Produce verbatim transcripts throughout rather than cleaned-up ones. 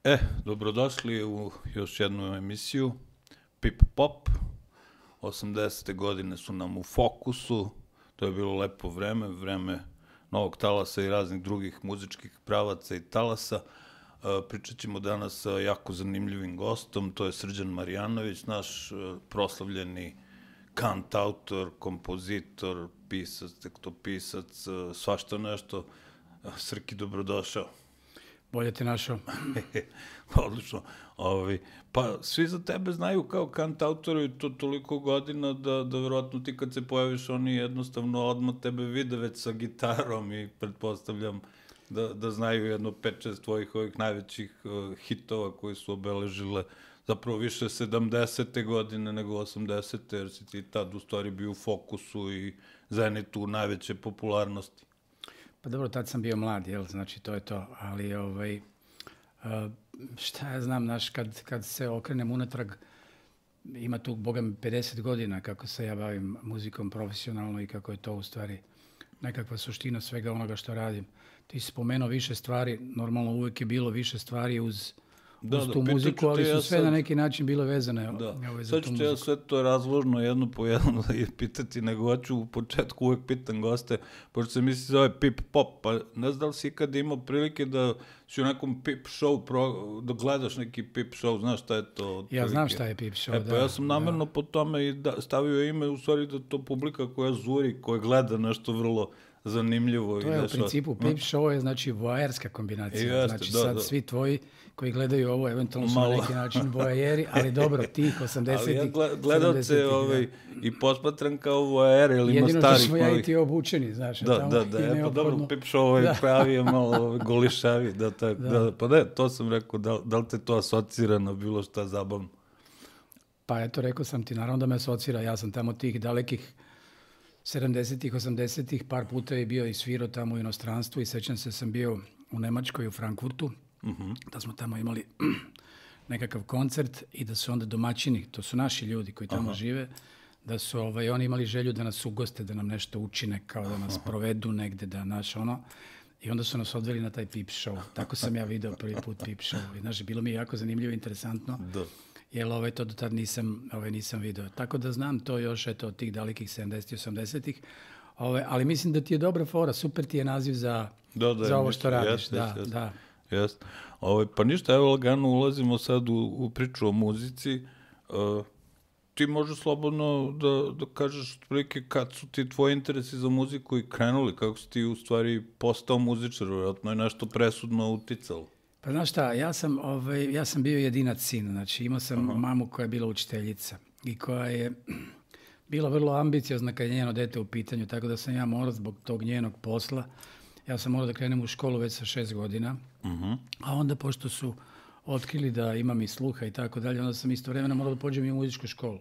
E, dobrodošli u još jednu emisiju Pip Pop. osamdesete godine su nam u fokusu, to je bilo lepo vreme, vreme novog talasa i raznih drugih muzičkih pravaca i talasa. Pričat ćemo danas sa jako zanimljivim gostom, to je Srđan Marjanović, naš proslavljeni kantautor, kompozitor, pisac, tekstopisac, svašta nešto. Srki, dobrodošao. Bolje te našao. Odlično. Ovi, pa svi za tebe znaju kao kantautoru i to toliko godina da, da verovatno ti kad se pojaviš oni jednostavno odmah tebe vide već sa gitarom i pretpostavljam da, da znaju jedno pet šest tvojih ovih najvećih uh, hitova koji su obeležile zapravo više sedamdesete godine nego osamdesete jer si ti tad u stvari bio u fokusu i zenitu najveće popularnosti. Pa dobro, tad sam bio mlad, jel, znači to je to, ali ovaj, šta ja znam, znaš, kad, kad se okrenem unatrag, ima tu, boga mi, pedeset godina kako se ja bavim muzikom profesionalno i kako je to u stvari nekakva suština svega onoga što radim. Ti si spomenuo više stvari, normalno uvijek je bilo više stvari uz, Da, uz da, tu muziku, ali su ja sve sad, na neki način bile vezane. Da, ovaj, za sad tu ću muziku. ja sve to razložno jedno po jedno da je pitati, nego hoću u početku uvek pitam goste, pošto se misli zove Pip Pop, pa ne znam da li si ikada imao prilike da si u nekom Pip show, pro, da gledaš neki Pip show, znaš šta je to? Otprilike? Ja znam šta je Pip show, e, pa da. ja sam namjerno da. po tome i da, stavio ime, u stvari da to publika koja zuri, koja gleda nešto vrlo zanimljivo. To i je nešto, u principu, Pip show je znači voajerska kombinacija, jeste, znači da, sad da. svi tvoji koji gledaju ovo, eventualno su Malo. na neki način voajeri, ali dobro, tih osamdesetih, ali ja gledalce ovaj, i posmatram kao voajer, ili ima jedino starih što smo ja i ti obučeni, znaš. Da, tamo da, da, je e, pa dobro, neophodno. Pip show je Da. pravi je malo golišavi, da, tak, Da. da, pa ne, to sam rekao, da, da li te to asocira na bilo šta zabavno? Pa eto, rekao sam ti, naravno da me asocira, ja sam tamo tih dalekih sedamdesetih, osamdesetih, par puta je bio i svirao tamo u inostranstvu i sećam se sam bio u Nemačkoj, u Frankfurtu, Uh-huh. da smo tamo imali nekakav koncert i da su onda domaćini, to su naši ljudi koji tamo Aha. žive, da su ovaj, oni imali želju da nas ugoste, da nam nešto učine, kao da nas provedu negde, da naš ono, i onda su nas odveli na taj Pip show. Tako sam ja video prvi put Pip show. I, znaš, bilo mi je jako zanimljivo i interesantno, Da. jer ovaj, to do tad nisam, ovaj, nisam video. Tako da znam to još eto, od tih dalekih sedamdesetih, osamdesetih, ovaj, ali mislim da ti je dobra fora, super ti je naziv za, Da, da, za ovo mislim, što radiš. jest, da, jest, jest. da. Jest. Ovaj, pa ništa, evo lagano ulazimo sad u, u priču o muzici. Uh, ti možeš slobodno da, da kažeš otprilike kad su ti tvoji interesi za muziku i krenuli, kako si ti u stvari postao muzičar, vjerojatno je nešto presudno uticalo. Pa znaš šta, ja sam, ovaj, ja sam bio jedinac sin, znači imao sam Aha. mamu koja je bila učiteljica i koja je bila vrlo ambiciozna kad je njeno dete u pitanju, tako da sam ja morao zbog tog njenog posla, ja sam morao da krenem u školu već sa šest godina, Uh-huh. a onda pošto su otkrili da imam i sluha i tako dalje, onda sam istovremeno morao da pođem i u muzičku školu.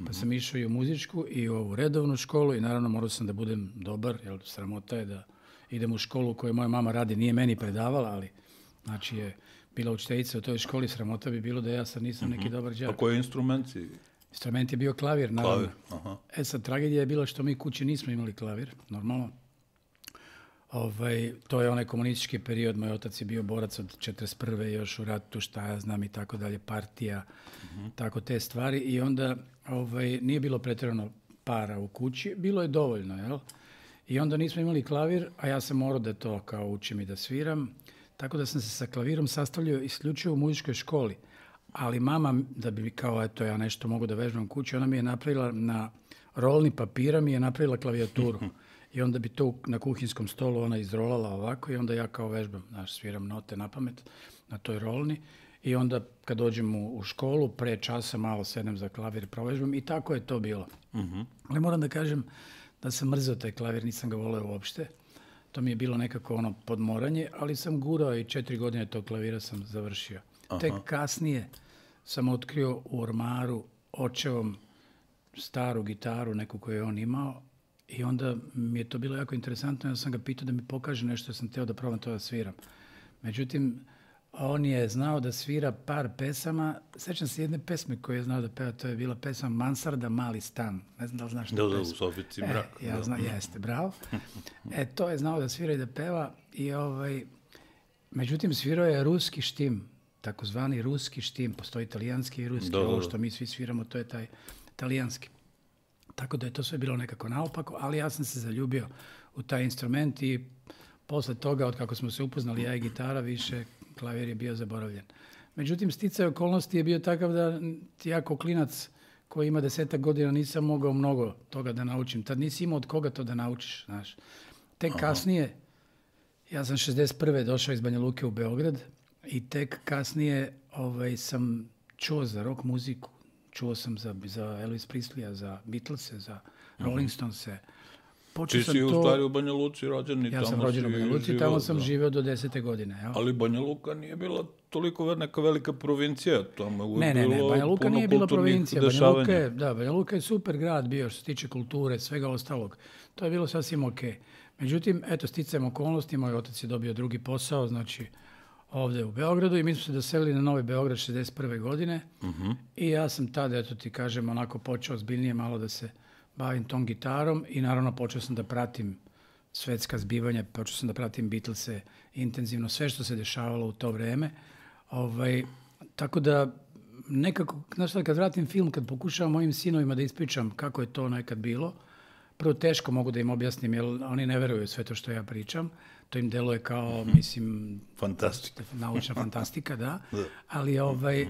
Pa sam išao i u muzičku i u ovu redovnu školu i naravno morao sam da budem dobar, jer sramota je da idem u školu u kojoj moja mama radi, nije meni predavala, ali znači je bila učiteljica u toj školi, sramota bi bilo da ja sad nisam neki dobar A đak. koji instrument si? Instrument je bio klavir, naravno. Klavir, aha. E sad, tragedija je bila što mi kući nismo imali klavir, normalno. Ovaj, to je onaj komunistički period, moj otac je bio borac od četrdeset prve još u ratu, šta ja znam i tako dalje, partija, Uh-huh. tako te stvari. I onda ovaj, nije bilo pretjerano para u kući, bilo je dovoljno, jel? I onda nismo imali klavir, a ja sam morao da to kao učim i da sviram. Tako da sam se sa klavirom sastavljao isključivo u muzičkoj školi. Ali mama, da bi kao eto ja nešto mogu da vežbam kući, ona mi je napravila na rolni papira, mi je napravila klavijaturu. I onda bi to na kuhinskom stolu ona izrolala ovako i onda ja kao vežbam, znaš, sviram note na pamet na toj rolni. I onda kad dođem u, u školu, pre časa malo sedem za klavir i provežbam i tako je to bilo. Uh-huh. Ali moram da kažem da sam mrzeo taj klavir, nisam ga voleo uopšte. To mi je bilo nekako ono podmoranje, ali sam gurao i četiri godine tog klavira sam završio. Aha. Tek kasnije sam otkrio u ormaru očevom staru gitaru, neku koju je on imao, i onda mi je to bilo jako interesantno, ja sam ga pitao da mi pokaže nešto, ja sam teo da probam to da sviram. Međutim, on je znao da svira par pesama, sećam se jedne pesme koju je znao da peva, to je bila pesma Mansarda, mali stan. Ne znam da li znaš tu Da, da, u pesmu. sobici E, mrak. ja da. znam, jeste, bravo. E, to je znao da svira i da peva i ovaj, međutim, svirao je ruski štim. takozvani ruski štim, postoji italijanski i ruski, da, da, da. ovo što mi svi sviramo, to je taj italijanski. Tako da je to sve bilo nekako naopako, ali ja sam se zaljubio u taj instrument i posle toga, od kako smo se upoznali, ja i gitara, više klavir je bio zaboravljen. Međutim, sticaj okolnosti je bio takav da ja kao klinac koji ima desetak godina nisam mogao mnogo toga da naučim. Tad nisi imao od koga to da naučiš, znaš. Tek Aha. kasnije, ja sam šezdeset prve došao iz Banja Luke u Beograd i tek kasnije ovaj, sam čuo za rock muziku. Čuo sam za, za Elvis Presleya, za Beatlese, za Rolling Stonese. Počeo Ti si to... u stvari u Banja Luci rođen i ja tamo sam rođen u Banja Luci i tamo sam da. živeo do desete godine. Jel? Ali Banja Luka nije bila toliko neka velika provincija. Tamo je ne, ne, ne, Banja Luka nije bila provincija. Banja Luka, je, da, Banja Luka je super grad bio što se tiče kulture, svega ostalog. To je bilo sasvim ok. Međutim, eto, sticajem okolnosti, moj otac je dobio drugi posao, znači ovde u Beogradu i mi smo se doselili na Novi Beograd šezdeset prve godine uh-huh. i ja sam tada, eto ti kažem, onako počeo zbiljnije malo da se bavim tom gitarom i naravno počeo sam da pratim svetska zbivanja, počeo sam da pratim Beatlese intenzivno, sve što se dešavalo u to vreme. Ovaj, tako da nekako, znaš šta, kad vratim film, kad pokušavam mojim sinovima da ispričam kako je to nekad bilo, prvo teško mogu da im objasnim, jer oni ne veruju sve to što ja pričam. To im deluje kao, mislim... Fantastika. Naučna fantastika, da. Ali, ovaj,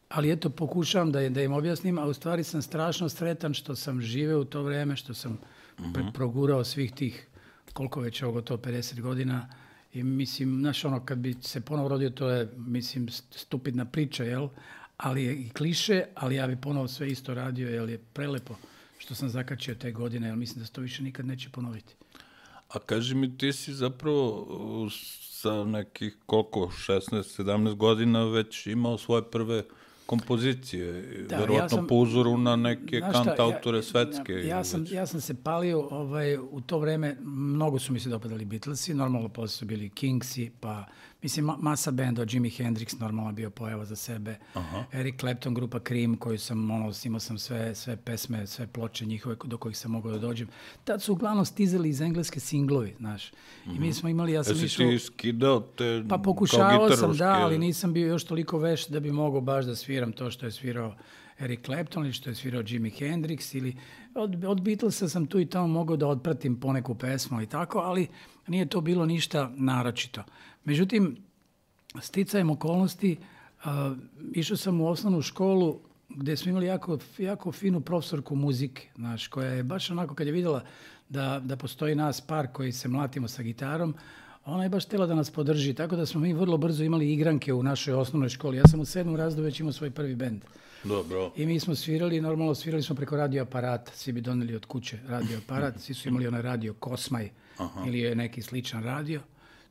ali eto, pokušavam da, da im objasnim, a u stvari sam strašno sretan što sam živeo u to vreme, što sam uh-huh. progurao svih tih, koliko već ovo gotovo pedeset godina. I mislim, znaš, ono, kad bi se ponovo rodio, to je, mislim, stupidna priča, jel? Ali je i kliše, ali ja bi ponovo sve isto radio, jer je prelepo što sam zakačio te godine, jer mislim da se to više nikad neće ponoviti. A kaži mi, ti si zapravo sa nekih koliko, šesnaest sedamnaest godina već imao svoje prve kompozicije, da, verovatno ja sam, po uzoru na neke kantautore ja, svetske. Ja, ja, sam, ja sam se palio, ovaj, u to vreme, mnogo su mi se dopadali Beatlesi, normalno posle su bili Kingsi, pa mislim masa benda, Jimi Hendrix normalno bio pojava za sebe, Aha. Eric Clapton, grupa Cream, koju sam, ono, imao sam sve, sve pesme, sve ploče njihove do kojih sam mogao da dođem. Tad su uglavnom stizali iz engleske singlovi, znaš. Mm-hmm. I mi smo imali, ja sam Jesi išao... Jesi ti skidao te pa pokušavao sam, da, ali nisam bio još toliko veš da bi mogao baš da sviram to što je svirao Eric Clapton ili što je svirao Jimi Hendrix ili od, od Beatlesa sam tu i tamo mogao da otpratim poneku pesmu i tako, ali nije to bilo ništa naročito. Međutim, sticajem okolnosti, uh, išao sam u osnovnu školu gde smo imali jako, jako finu profesorku muzike, znaš, koja je baš onako kad je vidjela da, da postoji nas par koji se mlatimo sa gitarom, ona je baš htjela da nas podrži, tako da smo mi vrlo brzo imali igranke u našoj osnovnoj školi. Ja sam u sedmom razredu već imao svoj prvi bend. Dobro. I mi smo svirali, normalno svirali smo preko radio aparata, svi bi doneli od kuće radio aparat, svi su imali onaj radio Kosmaj Aha. ili neki sličan radio.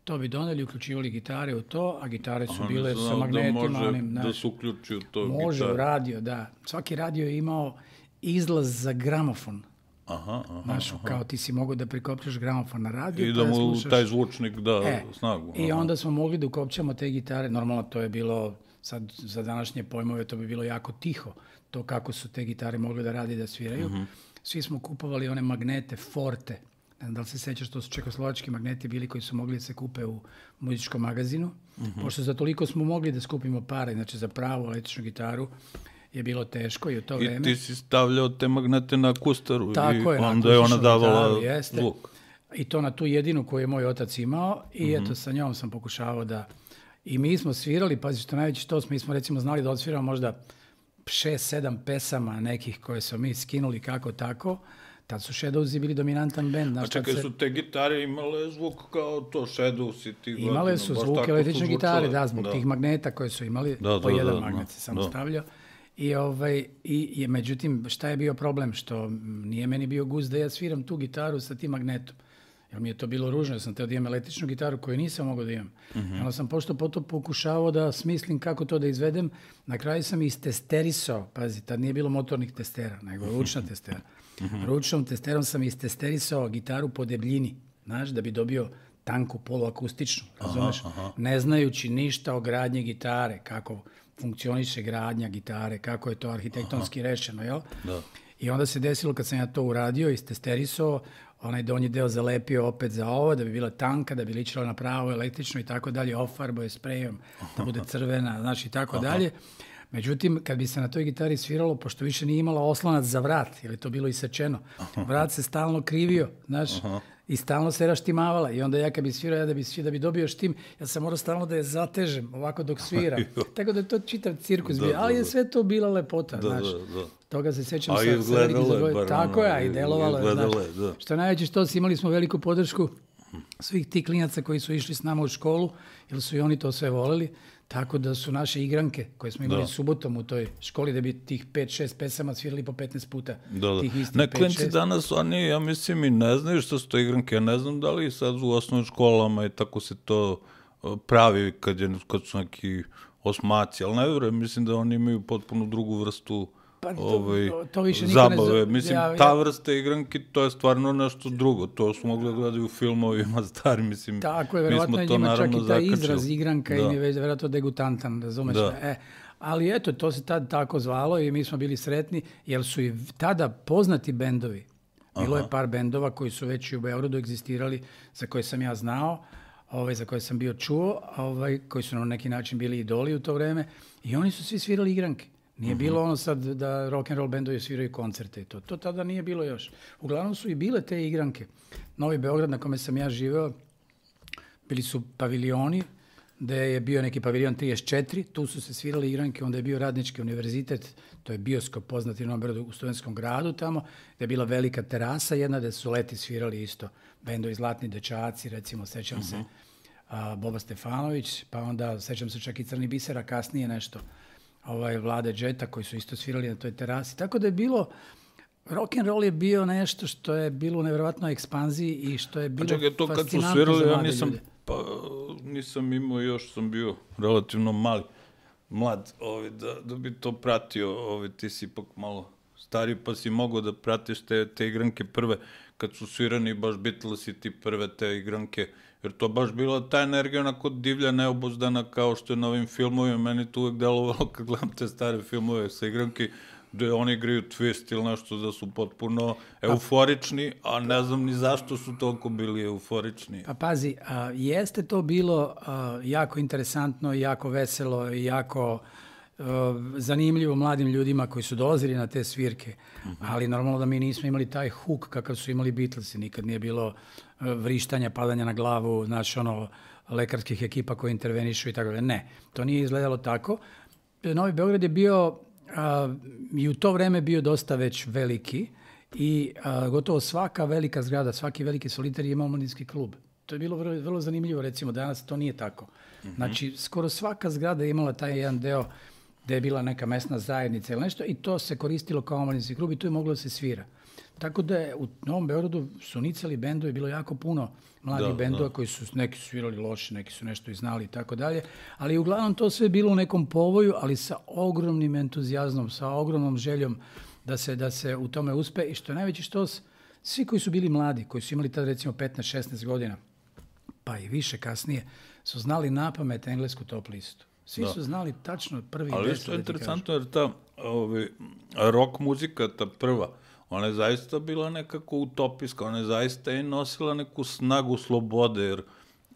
To bi doneli, uključivali gitare u to, a gitare su Aha, bile sa magnetima. Da može onim, da se uključi u to Može gitare. u radio, da. Svaki radio je imao izlaz za gramofon. Aha, aha, Znaš, aha. kao ti si mogao da prikopčaš gramofon na radio. I da mu slušaš... taj zvučnik da e, snagu. I onda smo mogli da ukopčamo te gitare. Normalno to je bilo, sad za današnje pojmove, to bi bilo jako tiho. To kako su te gitare mogli da radi da sviraju. Uh-huh. Svi smo kupovali one magnete Forte. Ne znam da li se sećaš, to su čekoslovački magneti bili koji su mogli da se kupe u muzičkom magazinu. Uh-huh. Pošto za toliko smo mogli da skupimo pare, znači za pravu električnu gitaru, je bilo teško i u to I vreme. I ti si stavljao te magnete na kustaru Tako i je, onda je ona davala gitaru, jeste. zvuk. I to na tu jedinu koju je moj otac imao i mm-hmm. eto sa njom sam pokušavao da... I mi smo svirali, pazi što najveći što smo, mi smo recimo znali da odsviramo možda šest sedam pesama nekih koje smo mi skinuli kako tako. Tad su Shadowsi bili dominantan bend. A čekaj, se... su te gitare imale zvuk kao to Shadowsi? Ti imale godina, su zvuk električne gitare, da, zbog da. tih magneta koje su imali, da, po da, jedan da, magnet se samo da. stavljao. I, ovaj, i, i međutim, šta je bio problem? Što nije meni bio gust da ja sviram tu gitaru sa tim magnetom. Jer mi je to bilo ružno, ja sam teo da imam električnu gitaru koju nisam mogao da imam. Mm-hmm. Onda sam pošto potom pokušavao da smislim kako to da izvedem. Na kraju sam istesterisao, pazi, tad nije bilo motornih testera, nego ručna testera. Mm-hmm. Ručnom testerom sam istesterisao gitaru po debljini, znaš, da bi dobio tanku poluakustičnu, razumeš? Aha, aha. Ne znajući ništa o gradnji gitare, kako funkcioniše gradnja gitare, kako je to arhitektonski aha. rešeno, jel? Da. I onda se desilo kad sam ja to uradio, istesterisao, onaj donji deo zalepio opet za ovo, da bi bila tanka, da bi ličila na pravo električno i tako dalje, ofarbo je sprejom, da bude crvena, znaš, i tako dalje. Međutim, kad bi se na toj gitari sviralo, pošto više nije imala oslonac za vrat, jer je to bilo isečeno, vrat se stalno krivio, znaš, i stalno se raštimavala. I onda ja kad bi svirao, ja da bi, da bi dobio štim, ja sam morao stalno da je zatežem, ovako dok sviram. Tako da je to čitav cirkus bio. Ali je sve to bila lepota, znaš. Toga se sećam sa velikim zadovoljstvom. Tako je, i delovalo je, znaš. Što najveće što si, imali smo veliku podršku svih tih klinaca koji su išli s nama u školu, jer su i oni to sve voleli. Tako da su naše igranke koje smo imali subotom u toj školi, da bi tih pet šest pesama svirali po petnaest puta. Tih istih ne, klinci danas, oni, ja mislim, i ne znaju što su to igranke. Ja ne znam da li sad u osnovnim školama i tako se to pravi kad, je, kad su neki osmaci, ali ne vjerujem, mislim da oni imaju potpuno drugu vrstu Pa to, ovaj, to, to više zabave. Ne mislim, ja, ja, ta vrsta igranki, to je stvarno nešto drugo. To smo mogli da gledaju u filmovima stari, mislim. Tako je, verovatno njima čak i taj izraz igranka im je verovatno degutantan, razumeš? E, ali eto, to se tad tako zvalo i mi smo bili sretni, jer su i tada poznati bendovi. Bilo Aha. je par bendova koji su već u Beogradu egzistirali, za koje sam ja znao, ovaj, za koje sam bio čuo, ovaj, koji su na neki način bili idoli u to vreme, i oni su svi svirali igranke. Nije uh-huh. bilo ono sad da rock and roll bendovi sviraju koncerte i to. To tada nije bilo još. Uglavnom su i bile te igranke. Novi Beograd na kome sam ja živeo, bili su paviljoni, gde je bio neki paviljon trideset četiri, tu su se svirali igranke, onda je bio Radnički univerzitet, to je bioskop poznati na Beogradu u Studentskom gradu tamo, gde je bila velika terasa jedna, gde su leti svirali isto bendovi Zlatni dečaci, recimo, sećam uh-huh. se a, Boba Stefanović, pa onda sećam se čak i Crni bisera, kasnije nešto. Ovaj Vlade Džeta koji su isto svirali na toj terasi. Tako da je bilo, rock and roll je bio nešto što je bilo u nevjerovatnoj ekspanziji i što je bilo čekaj, to kad su svirali, ja nisam, pa, nisam imao, još sam bio relativno mali, mlad, ovaj, da, da bi to pratio, ovaj, ti si ipak malo stariji, pa si mogao da pratiš te, te igranke prve, kad su svirani baš Beatlesi ti prve te igranke, jer to baš bila ta energija onako divlja, neobuzdana, kao što je na ovim filmovima. Meni to uvek delovalo kad gledam te stare filmove sa igranki, gde oni igraju twist ili nešto, da su potpuno euforični, a ne znam ni zašto su toliko bili euforični. Pa pazi, a, jeste to bilo a, jako interesantno, jako veselo i jako a, zanimljivo mladim ljudima koji su dolazili na te svirke, uh-huh. ali normalno da mi nismo imali taj huk kakav su imali Beatlesi, nikad nije bilo vrištanja, padanja na glavu, znači ono, lekarskih ekipa koji intervenišu i tako dalje. Ne, to nije izgledalo tako. Novi Beograd je bio a, i u to vreme bio dosta već veliki i a, gotovo svaka velika zgrada, svaki veliki solitar je imao omladinski klub. To je bilo vrlo, vrlo zanimljivo, recimo, danas to nije tako. Mm-hmm. Znači, skoro svaka zgrada je imala taj jedan deo gde je bila neka mesna zajednica ili nešto i to se koristilo kao omladinski klub i tu je moglo da se svira. Tako da je u Novom Beogradu su nicali bendovi, bilo jako puno mladih da, bendova da. koji su, neki su svirali loše, neki su nešto i znali i tako dalje, ali uglavnom to sve bilo u nekom povoju, ali sa ogromnim entuzijazmom, sa ogromnom željom da se, da se u tome uspe i što je najveći štos, svi koji su bili mladi, koji su imali tada recimo petnaest šesnaest godina, pa i više kasnije, su znali napamet englesku top listu. Svi da. su znali tačno prvi ali što je interesantno jer ta ovaj, rock muzika, ta prva, ona je zaista bila nekako utopijska, ona je zaista i nosila neku snagu slobode, jer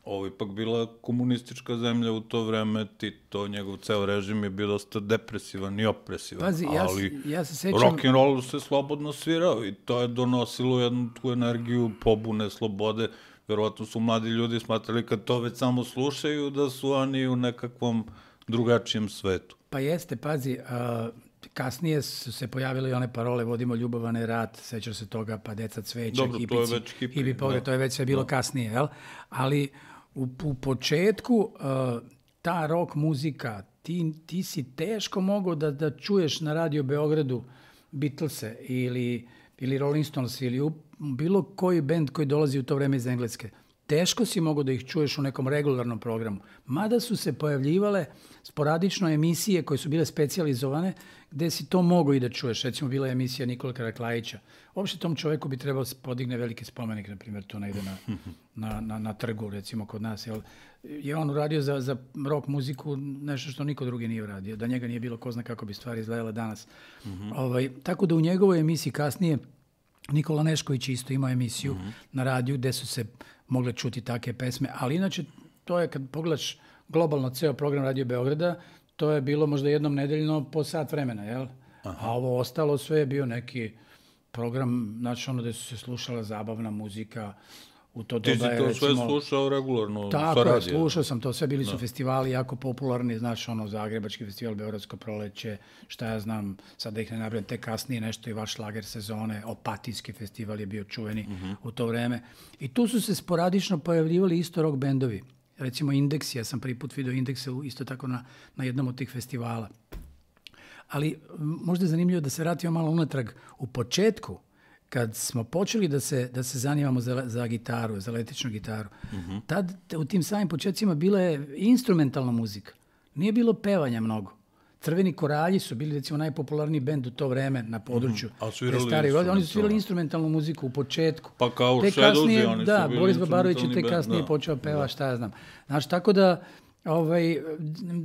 ovo ipak bila komunistička zemlja u to vreme, Tito, njegov ceo režim je bio dosta depresivan i opresivan, Pazi, ali ja, ja se sećam... rock and roll se slobodno svirao i to je donosilo jednu tu energiju pobune, slobode. Verovatno su mladi ljudi smatrali kad to već samo slušaju da su oni u nekakvom drugačijem svetu. Pa jeste, pazi, a, kasnije su se pojavile i one parole vodimo ljubavane rat, sećaš se toga, pa deca cveća, dobro, hipici, to je već hipi, hipi pogled, to je već sve bilo da. kasnije, jel? Ali u, u početku a, ta rock muzika, ti, ti si teško mogao da, da čuješ na radio Beogradu Beatlese ili, ili Rolling Stones ili u, bilo koji bend koji dolazi u to vreme iz Engleske. teško si mogao da ih čuješ u nekom regularnom programu. Mada su se pojavljivale sporadično emisije koje su bile specijalizovane, gde si to mogao i da čuješ. Recimo, bila je emisija Nikola Karaklajića. Uopšte tom čoveku bi trebao podigne veliki spomenik, na primjer, to negde na, na, na, na trgu, recimo, kod nas. Jel, je on uradio za, za rock muziku nešto što niko drugi nije uradio. Da njega nije bilo, ko zna kako bi stvari izgledale danas. Mm-hmm. Ovaj, tako da u njegovoj emisiji kasnije Nikola Nešković isto imao emisiju mm-hmm. na radiju gde su se mogle čuti take pesme, ali inače to je kad pogledaš globalno ceo program Radio Beograda, to je bilo možda jednom nedeljno po sat vremena, jel? Aha. A ovo ostalo sve je bio neki program, znači ono gde su se slušala zabavna muzika, u to doba je, recimo... Ti si to sve slušao regularno? Tako je, slušao sam to, sve bili su festivali jako popularni, znaš, ono, Zagrebački festival, Beogradsko proleće, šta ja znam, sad da ih ne nabrajam, te kasnije nešto i vaš šlager sezone, Opatijski festival je bio čuveni uh-huh. u to vreme. I tu su se sporadično pojavljivali isto rock bendovi. Recimo Indeksi, ja sam prvi put vidio Indekse isto tako na, na jednom od tih festivala. Ali možda je zanimljivo da se vratimo malo unatrag. U početku, kad smo počeli da se, da se zanimamo za, za gitaru, za električnu gitaru, uh-huh. tad u tim samim početcima bila je instrumentalna muzika. Nije bilo pevanja mnogo. Crveni koralji su bili, recimo, najpopularniji bend u to vreme na području. Uh-huh. A svirali stari, oni su svirali instrumentalnu muziku u početku. Pa kao Šedozi, oni da, su bili Boris Babarović je te band, kasnije da. počeo peva, šta ja znam. Znači, tako da, ovaj,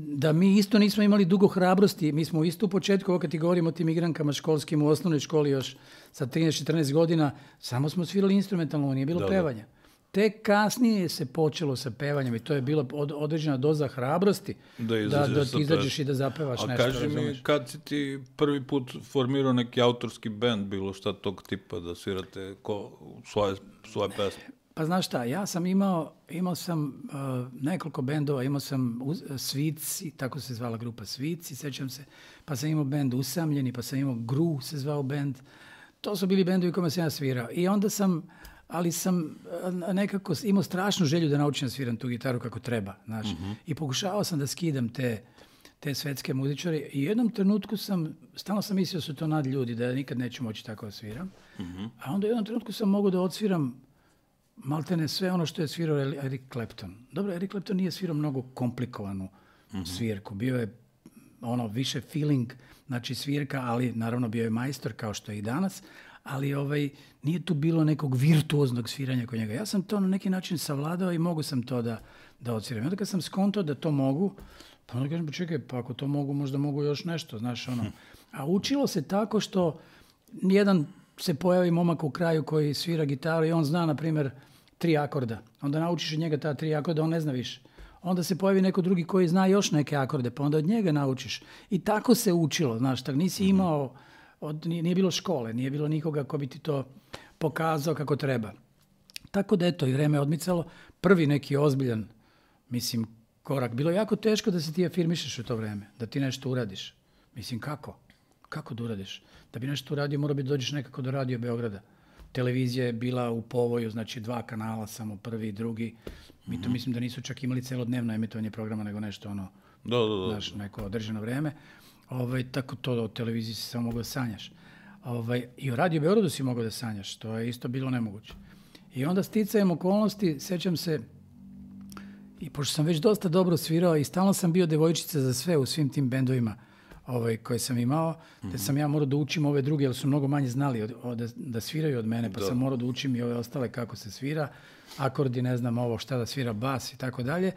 da mi isto nismo imali dugo hrabrosti. Mi smo isto u početku, ovo kad ti govorimo o tim igrankama školskim u osnovnoj školi još sa trinaest četrnaest godina, samo smo svirali instrumentalno, nije bilo da, pevanja. Da. Tek kasnije se počelo sa pevanjem i to je bila od, određena doza hrabrosti da, da, da ti izađeš i da zapevaš a nešto. A kaži razumeš? mi, kad si ti prvi put formirao neki autorski bend, bilo šta tog tipa da svirate ko, svoje, svoje pesme? Pa znaš šta, ja sam imao, imao sam uh, nekoliko bendova, imao sam uz, Svici, tako se zvala grupa Svici, sećam se, pa sam imao bend Usamljeni, pa sam imao Gru se zvao bend. To su bili bendovi kojima sam ja svirao. I onda sam, ali sam nekako imao strašnu želju da naučim da sviram tu gitaru kako treba, znaš. Uh-huh. I pokušavao sam da skidam te, te svetske muzičare i u jednom trenutku sam, stalno sam mislio da su to nad ljudi, da ja nikad neću moći tako da sviram. Uh-huh. A onda u jednom trenutku sam mogao da odsviram maltene sve ono što je svirao Eric Clapton. Dobro, Eric Clapton nije svirao mnogo komplikovanu uh-huh. svirku. Bio je ono više feeling, znači svirka, ali naravno bio je majstor kao što je i danas, ali ovaj, nije tu bilo nekog virtuoznog sviranja kod njega. Ja sam to na neki način savladao i mogu sam to da, da odsviram. I onda kad sam skontao da to mogu, pa onda kažem, pa čekaj, pa ako to mogu, možda mogu još nešto, znaš, ono. A učilo se tako što jedan se pojavi momak u kraju koji svira gitaru i on zna, na primjer, tri akorda. Onda naučiš od njega ta tri akorda, on ne zna više. Onda se pojavi neko drugi koji zna još neke akorde, pa onda od njega naučiš. I tako se učilo, znaš, tako nisi imao, od, nije, nije bilo škole, nije bilo nikoga ko bi ti to pokazao kako treba. Tako da, eto, i vreme odmicalo. Prvi neki ozbiljan, mislim, korak. Bilo je jako teško da se ti afirmišeš u to vreme, da ti nešto uradiš. Mislim, kako? Kako da uradiš? Da bi nešto uradio, mora bi dođeš nekako do Radio Beograda. Televizija je bila u povoju, znači dva kanala, samo prvi i drugi. Mi to mislim da nisu čak imali celodnevno emitovanje programa, nego nešto ono, da, da, da. Znaš, neko određeno vreme. Ovaj, tako to o televiziji si samo mogao da sanjaš. Ovaj, I o Radio Beogradu si mogao da sanjaš, to je isto bilo nemoguće. I onda sticajem okolnosti, sećam se, i pošto sam već dosta dobro svirao i stalno sam bio devojčica za sve u svim tim bendovima ovaj, koje sam imao, mm-hmm. te sam ja morao da učim ove druge, jer su mnogo manje znali od, od, da, da sviraju od mene, pa da. sam morao da učim i ove ostale kako se svira, akordi, ne znam ovo šta da svira, bas i tako dalje.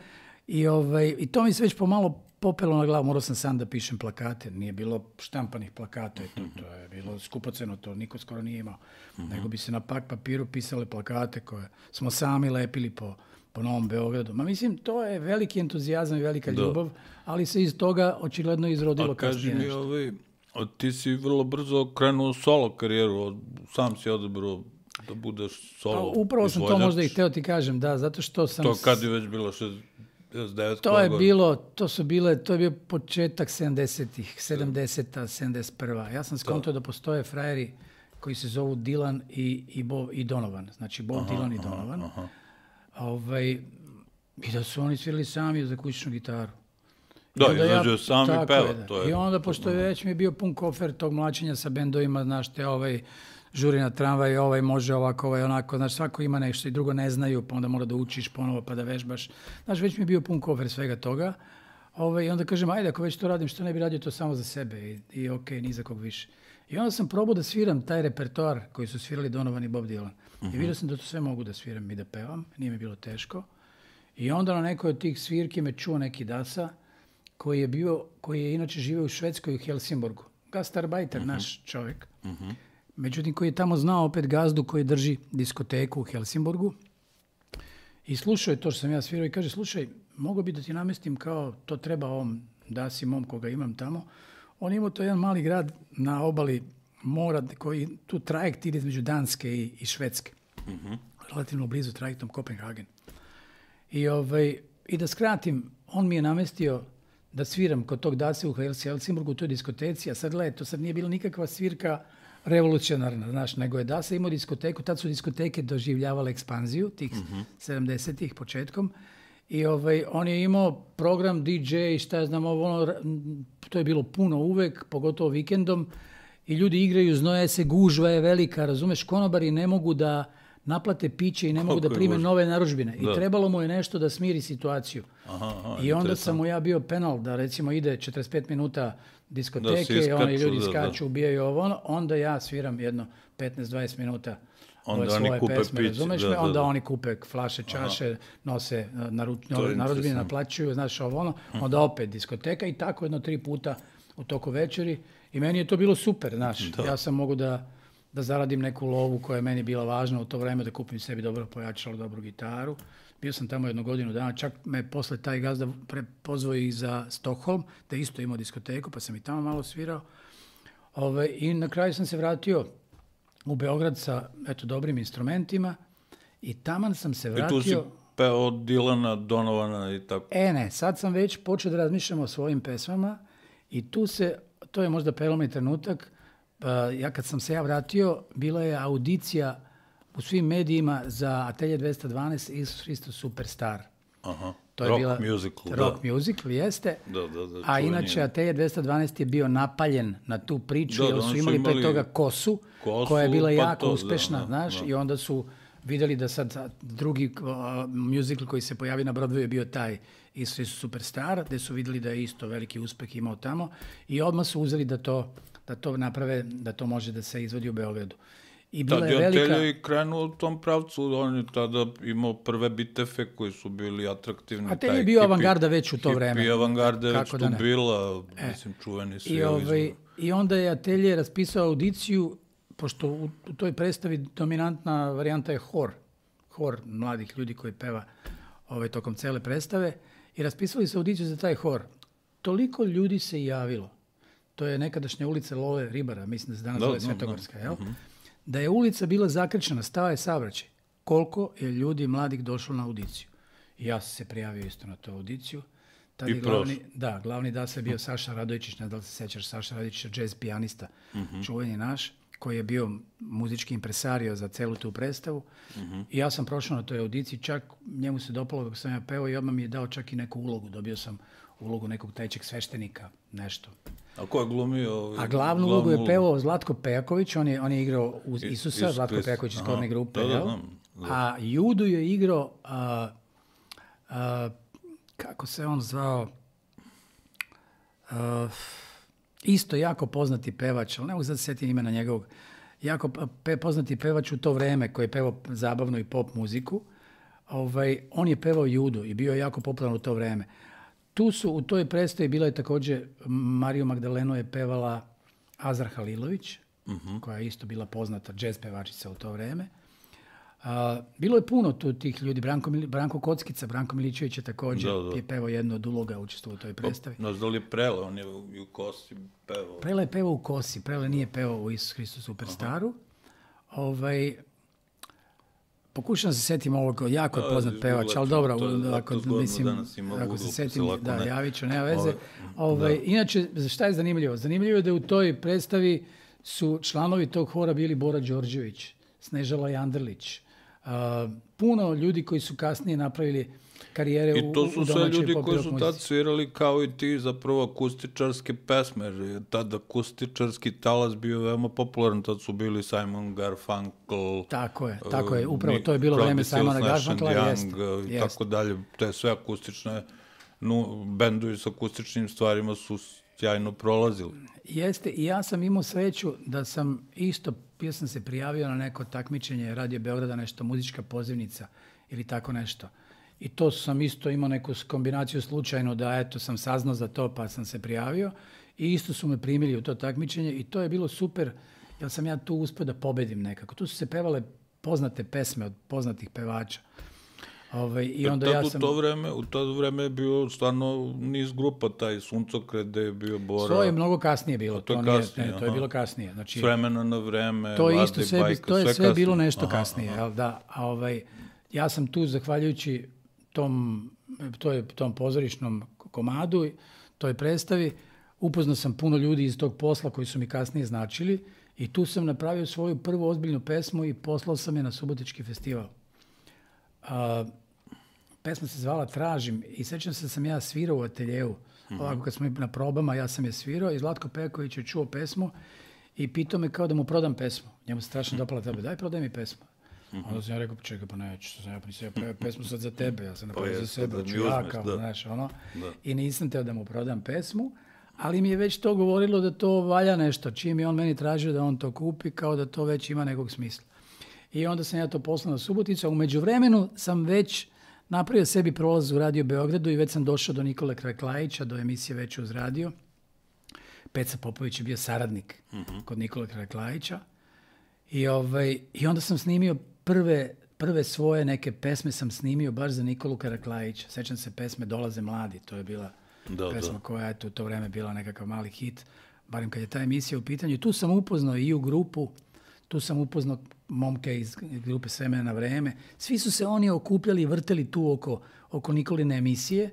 I, ovaj, i to mi se već pomalo popelo na glavu, morao sam sam da pišem plakate, nije bilo štampanih plakata, to, to je bilo skupoceno, to niko skoro nije imao, mm-hmm. nego bi se na pak papiru pisale plakate koje smo sami lepili po, po Novom Beogradu. Ma mislim, to je veliki entuzijazam i velika da. ljubav, ali se iz toga očigledno izrodilo kasnije nešto. A kaži mi, ovaj, ti si vrlo brzo krenuo solo karijeru, sam si odabrao da budeš solo pa, upravo sam izvođač. To možda i hteo ti kažem, da, zato što sam... To kad je već bilo šezdeset devet To je bilo, to su bile, to je bio početak sedamdesetih, sedamdeseta, sedamdeset prva. Ja sam skontao da postoje frajeri koji se zovu Dylan i, i, Bob, i Donovan. Znači Bob aha, Dylan i Donovan. Aha, aha. Ovaj, I da su oni svirali sami za kućnu gitaru. Da, izađe ja, sami peva. To je, I onda, pošto je već mi je bio pun kofer tog mlačenja sa bendovima, znaš, te ovaj, žuri na tramvaj, ovaj može ovako, ovaj onako, znaš, svako ima nešto i drugo ne znaju, pa onda mora da učiš ponovo pa da vežbaš. Znaš, već mi je bio pun kofer svega toga. Ovaj, I onda kažem, ajde, ako već to radim, što ne bi radio to samo za sebe i, i ok, ni za kog više. I onda sam probao da sviram taj repertoar koji su svirali Donovan i Bob Dylan. Uh-huh. I vidio sam da to sve mogu da sviram i da pevam, nije mi bilo teško. I onda na nekoj od tih svirki me čuo neki Dasa, koji je bio, koji je inače živio u Švedskoj u Helsingborgu. Gastarbajter, uh-huh. naš čovjek. Uh-huh. Međutim, koji je tamo znao opet gazdu koji drži diskoteku u Helsingborgu. I slušao je to što sam ja svirao i kaže, slušaj, mogu bi da ti namestim kao to treba ovom Dasi mom koga imam tamo. On imao to jedan mali grad na obali mora koji tu trajekt ide između Danske i, i Švedske. Uh-huh. Relativno blizu trajektom Kopenhagen. I, ovaj, I da skratim, on mi je namestio da sviram kod tog Dase u Helsingborgu u toj diskoteci, a sad gledaj, to sad nije bila nikakva svirka revolucionarna, znaš, nego je Dasa imao diskoteku, tad su diskoteke doživljavale ekspanziju, tih uh-huh. sedamdesetih početkom, i ovaj, on je imao program D J, šta ja znam, ono, to je bilo puno uvek, pogotovo vikendom, i ljudi igraju, znoje se, gužva je velika, razumeš, konobari ne mogu da naplate piće i ne mogu da prime nove narudžbine. I trebalo mu je nešto da smiri situaciju. Aha, aha, I onda sam mu ja bio penal da recimo ide četrdeset pet minuta diskoteke, da, iskaču, oni ljudi skaču, da, ubijaju ovo ono, onda ja sviram jedno petnaest dvadeset minuta onda svoje oni kupe pesme, pić, razumeš da, me? Onda da, da. Oni kupe flaše, čaše, aha. nose narudžbine, naplaćuju, znaš ovo ono, onda opet diskoteka i tako jedno tri puta u toku večeri. I meni je to bilo super, znaš. Da. Ja sam mogu da da zaradim neku lovu koja je meni bila važna u to vreme, da kupim sebi dobro pojačalo, dobru gitaru. Bio sam tamo jednu godinu dana, čak me posle taj gazda pozvao i za Stockholm, da isto imao diskoteku, pa sam i tamo malo svirao. Ove, I na kraju sam se vratio u Beograd sa eto, dobrim instrumentima i taman sam se vratio... I tu si peo od Dylana, Donovana i tako? E ne, sad sam već počeo da razmišljam o svojim pesmama i tu se, to je možda prelomni trenutak. Ja kad sam se ja vratio, bila je audicija u svim medijima za Atelje dvesta dvanaest Isus Hristos Superstar. Aha. To je rock bila musical, rock da. musical, jeste. Da, da, da, a inače Atelje dvesta dvanaest je bio napaljen na tu priču, da, jer su imali, imali pre toga Kosu, kosu koja je bila pa jako to, uspešna, da, znaš, da. I onda su videli da sad drugi uh, musical koji se pojavi na Broadwayu je bio taj Isus Hristos Superstar, gde su videli da je isto veliki uspeh imao tamo i odmah su uzeli da to da to naprave, da to može da se izvodi u Beogradu. I bila Tad je velika... Atelje je krenuo u tom pravcu, on je tada imao prve bitefe koji su bili atraktivni. Atelje je bio avangarda već u to vreme. Hipi avangarda je već tu bila, e. mislim, čuveni svi. I, ovaj, I onda je Atelje raspisao audiciju, pošto u, u toj predstavi dominantna varijanta je hor, hor mladih ljudi koji peva ovaj, tokom cele predstave, i raspisali su audiciju za taj hor. Toliko ljudi se javilo. To je nekadašnja ulica Lole Ribara, mislim da se danas zove Svetogorska, jel? Uh-huh. Da je ulica bila zakrčena, stao je saobraćaj. Koliko je ljudi mladih došlo na audiciju? I ja sam se prijavio isto na tu audiciju. Tad I glavni, da, glavni da se bio Saša Radojičić, ne da li se sećaš, Saša Radojičić, jazz pijanista, uh-huh. čuveni naš, koji je bio muzički impresario za celu tu predstavu. Uh-huh. I ja sam prošao na toj audiciji, čak njemu se dopalo kako sam ja peo i odmah mi je dao čak i neku ulogu. Dobio sam ulogu nekog trećeg sveštenika, nešto. A ko je glumio? A glavnu ulogu je pevao Zlatko Pejaković, on je, on je igrao uz Isusa, Isus Zlatko Pejaković iz Korne grupe, da, da, da, da. A Judu je igrao, a, a, kako se on zvao, a, isto jako poznati pevač, ali ne mogu sad setim imena njegovog, jako pe, poznati pevač u to vreme koji je pevao zabavnu i pop muziku, ovaj, on je pevao Judu i bio je jako popularan u to vreme. Tu su, u toj predstavi bila je također, Mariju Magdalenu je pevala Azar Halilović, uh-huh. koja je isto bila poznata džez pevačica u to vreme. A, bilo je puno tu tih ljudi, Branko, Branko Kockica, Branko Milićević je također da, da. je pevao jednu od uloga, učestvovao u toj predstavi. No, da li je Prele, on je u Kosi pevao? Prele je pevao u Kosi, Prele nije pevao u Isus Hristos Superstaru. Aha. Ovaj... Pokušam se setim ovog, jako je poznat pevač, ali dobro, ako, mislim, ako se setim, da, javit ću, nema veze. Ovaj, da. Inače, šta je zanimljivo? Zanimljivo je da u toj predstavi su članovi tog hora bili Bora Đorđević, Snežala Jandrlić, Uh, puno ljudi koji su kasnije napravili karijere u, u I to su sve ljudi koji su tad svirali kao i ti zapravo akustičarske pesme, jer je tad akustičarski talas bio veoma popularan, tad su bili Simon Garfunkel. Tako je, tako je, upravo to je bilo vreme Simona Garfunkela, jeste. I tako dalje, te sve akustične, no, bendovi s akustičnim stvarima su sjajno prolazili. Jeste, i ja sam imao sreću da sam isto, bio sam se prijavio na neko takmičenje Radio Beograda, nešto muzička pozivnica ili tako nešto. I to sam isto imao neku kombinaciju slučajno da eto sam saznao za to pa sam se prijavio i isto su me primili u to takmičenje i to je bilo super jer sam ja tu uspio da pobedim nekako. Tu su se pevale poznate pesme od poznatih pevača. Ove, i onda tad, ja sam... u, to vreme, u to vreme je bio stvarno niz grupa, taj Suncokret gde je bio Bora. To je mnogo kasnije bilo. To, to, nije, kasnije, ne, to je bilo kasnije. Znači, s vremena na vreme, to je Vlade, isto sve, Bajka, to je sve, sve kasnije. bilo nešto Aha, kasnije. aha. Jel, da, a ovaj, ja sam tu zahvaljujući tom, to tom pozorišnom komadu, toj predstavi, upoznao sam puno ljudi iz tog posla koji su mi kasnije značili i tu sam napravio svoju prvu ozbiljnu pesmu i poslao sam je na Subotički festival. A, pesma se zvala Tražim i sećam se da sam ja svirao u ateljevu. Mm-hmm. Ovako kad smo na probama, ja sam je svirao i Zlatko Peković je čuo pesmu i pitao me kao da mu prodam pesmu. Njemu se strašno dopala tebe, daj prodaj mi pesmu. Mm-hmm. Onda sam ja rekao, pa čekaj, pa neću, sam ja nisam ja pesmu sad za tebe, ja sam napravio pa za sebe, da ću ja kao, znaš, ono. Da. I nisam teo da mu prodam pesmu, ali mi je već to govorilo da to valja nešto. Čim je on meni tražio da on to kupi, kao da to već ima nekog smisla. I onda sam ja to poslao na Suboticu, a u međuvremenu sam već napravio sebi prolaz u Radio Beogradu i već sam došao do Nikole Kraklajića, do emisije Već uz radio. Peca Popović je bio saradnik mm-hmm. kod Nikole Kraklajića. I, ovaj, I onda sam snimio prve, prve svoje neke pesme sam snimio baš za Nikolu Kraklajića. Sećam se pesme Dolaze mladi, to je bila da, pesma da. koja je u to vreme bila nekakav mali hit, barem kad je ta emisija u pitanju. I tu sam upoznao i u grupu, tu sam upoznao momke iz grupe S vremena na vreme. Svi su se oni okupljali i vrteli tu oko, oko Nikoline emisije,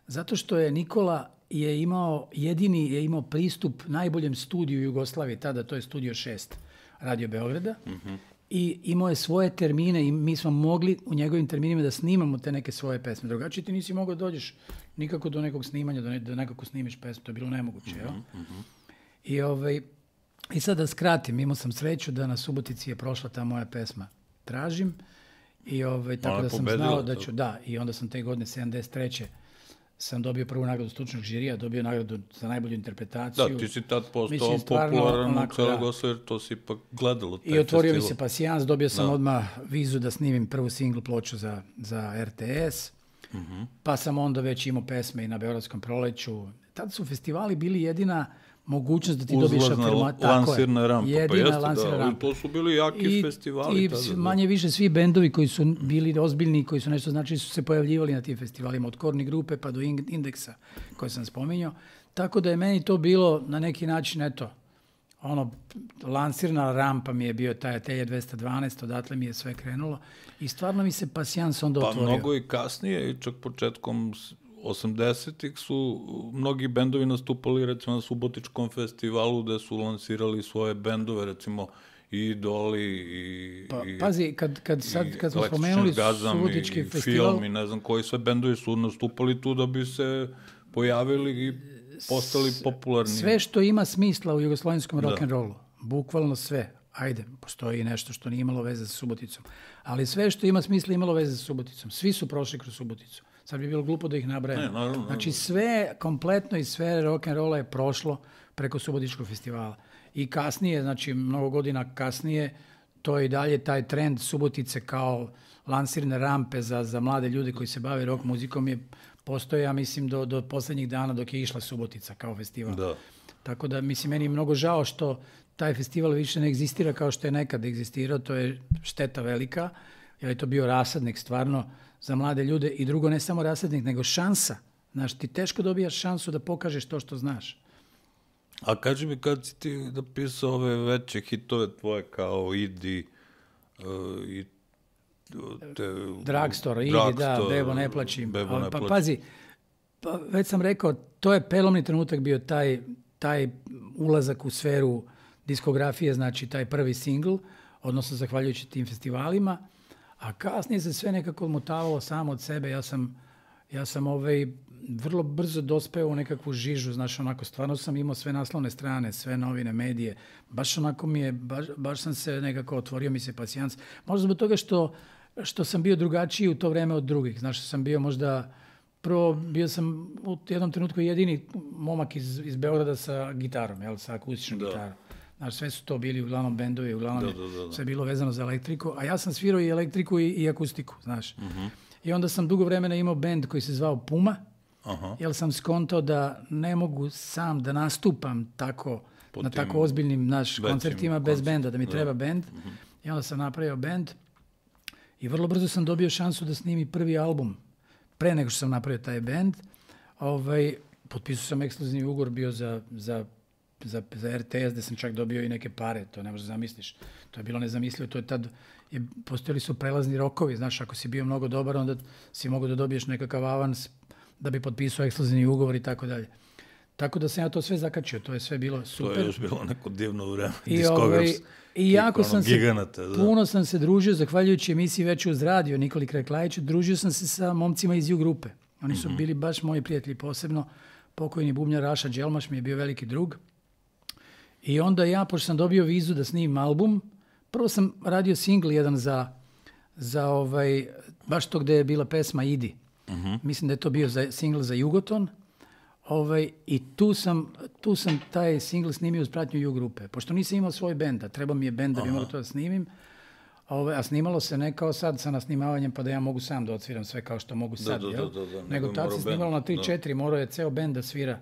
zato što je Nikola je imao, jedini je imao pristup najboljem studiju u Jugoslaviji, tada to je Studio šest Radio Beograda, mm-hmm. i imao je svoje termine i mi smo mogli u njegovim terminima da snimamo te neke svoje pesme. Drugačije ti nisi mogao dođeš nikako do nekog snimanja, da, ne, da nekako snimiš pesmu, to je bilo nemoguće. Mm-hmm. Jel? I ovaj... I sad da skratim, imao sam sreću da na Subotici je prošla ta moja pesma Tražim i ovaj, tako Ona da sam pobedila, znao da ću, da, i onda sam te godine sedamdeset treće sam dobio prvu nagradu stručnog žirija, dobio nagradu za najbolju interpretaciju. Da, ti si tad postao popularan u celoj Jugoslaviji, jer to si ipak gledalo. I otvorio festival. Mi se pasijans, dobio sam da. odmah vizu da snimim prvu singl ploču za, za R T S, uh-huh. pa sam onda već imao pesme i na Beogradskom proleću. Tad su festivali bili jedina mogućnost da ti dobiješ afirmaciju. Lansirna rampa, jedina pa jeste, lansirna da, rampa. To su bili jaki I, festivali. I tada, manje više svi bendovi koji su bili ozbiljni, koji su nešto znači su se pojavljivali na tim festivalima, od Korni grupe pa do Indeksa, koje sam spominjao. Tako da je meni to bilo na neki način, eto, ono, lansirna rampa mi je bio taj Atelje dvesta dvanaest, odatle mi je sve krenulo i stvarno mi se pasijans onda pa otvorio. Pa mnogo i kasnije, i čak početkom osamdesetih su mnogi bendovi nastupali recimo na Subotičkom festivalu gde su lansirali svoje bendove, recimo i Idoli i, pa, i pazi, kad, kad, sad, kad smo spomenuli Subotički i festival... Film i ne znam koji sve bendovi su nastupali tu da bi se pojavili i postali popularni. Sve što ima smisla u jugoslovenskom rock'n'rollu, bukvalno sve. Ajde, postoji nešto što nije imalo veze sa Suboticom. Ali sve što ima smisla imalo veze sa Suboticom. Svi su prošli kroz Suboticu. Sad bi bilo glupo da ih nabrajam. Ne, naravno, znači sve, kompletno iz sfere rock'n'rolla je prošlo preko Subotičkog festivala. I kasnije, znači mnogo godina kasnije, to je i dalje taj trend Subotice kao lansirne rampe za, za mlade ljude koji se bave rock muzikom je postoje, ja mislim, do, do poslednjih dana dok je išla Subotica kao festival. Da. Tako da, mislim, meni je mnogo žao što taj festival više ne egzistira kao što je nekad egzistirao, to je šteta velika, jer je to bio rasadnik stvarno za mlade ljude i drugo, ne samo rasadnik, nego šansa. Znaš, ti teško dobijaš šansu da pokažeš to što znaš. A kaži mi, kad si ti napisao ove veće hitove tvoje kao Idi uh, i te... Drugstore, Idi, da, Bebo ne plačim. Bebo ne pa, plačim. pazi, pa, već sam rekao, to je pelomni trenutak bio taj, taj ulazak u sferu diskografije, znači taj prvi singl, odnosno zahvaljujući tim festivalima, A kasnije se sve nekako odmotavalo samo od sebe. Ja sam, ja sam ovaj, vrlo brzo dospeo u nekakvu žižu, znaš, onako, stvarno sam imao sve naslovne strane, sve novine, medije. Baš onako mi je, baš, baš sam se nekako otvorio mi se pasijans. Možda zbog toga što, što sam bio drugačiji u to vreme od drugih. Znaš, sam bio možda, prvo bio sam u jednom trenutku jedini momak iz, iz Beograda sa gitarom, jel, sa akustičnom da. gitarom. Znaš, sve su to bili uglavnom bendovi, uglavnom da, da, da, da. sve bilo vezano za elektriku, a ja sam svirao i elektriku i, i akustiku, znaš. Uh-huh. I onda sam dugo vremena imao bend koji se zvao Puma, uh-huh. jer sam skontao da ne mogu sam da nastupam tako, po na tako ozbiljnim naš koncertima bez koncert. benda, da mi da. treba bend. Uh-huh. I onda sam napravio bend i vrlo brzo sam dobio šansu da snimi prvi album. Pre nego što sam napravio taj bend, ovaj, potpisao sam ekskluzivni ugovor bio za, za Za, za er te es, gde sam čak dobio i neke pare, to ne možeš zamisliš. To je bilo nezamislivo, to je tad, je, postojali su prelazni rokovi, znaš, ako si bio mnogo dobar, onda si mogao da dobiješ nekakav avans da bi potpisao ekskluzivni ugovor i tako dalje. Tako da sam ja to sve zakačio, to je sve bilo super. To je još bilo neko divno vreme, I, ovaj, i jako sam se, giganata, da. puno sam se družio, zahvaljujući emisiji Veče uz radio, Nikoli Kreklajiću, družio sam se sa momcima iz U grupe. Oni su mm-hmm. bili baš moji prijatelji, posebno pokojni bubnjar Raša Đelmaš mi je bio veliki drug. I onda ja, pošto sam dobio vizu da snimim album, prvo sam radio singl jedan za, za ovaj, baš to gde je bila pesma Idi. Uh-huh. Mislim da je to bio za, singl za Jugoton. Ovaj, I tu sam, tu sam taj singl snimio uz pratnju U grupe. Pošto nisam imao svoj bend, a treba mi je bend da bi mogao to da snimim. Ovaj, a snimalo se ne kao sad sa nasnimavanjem pa da ja mogu sam da odsviram sve kao što mogu sad. Da, da, da, da, da. Nego tad se snimalo na tri četiri, morao je ceo bend da svira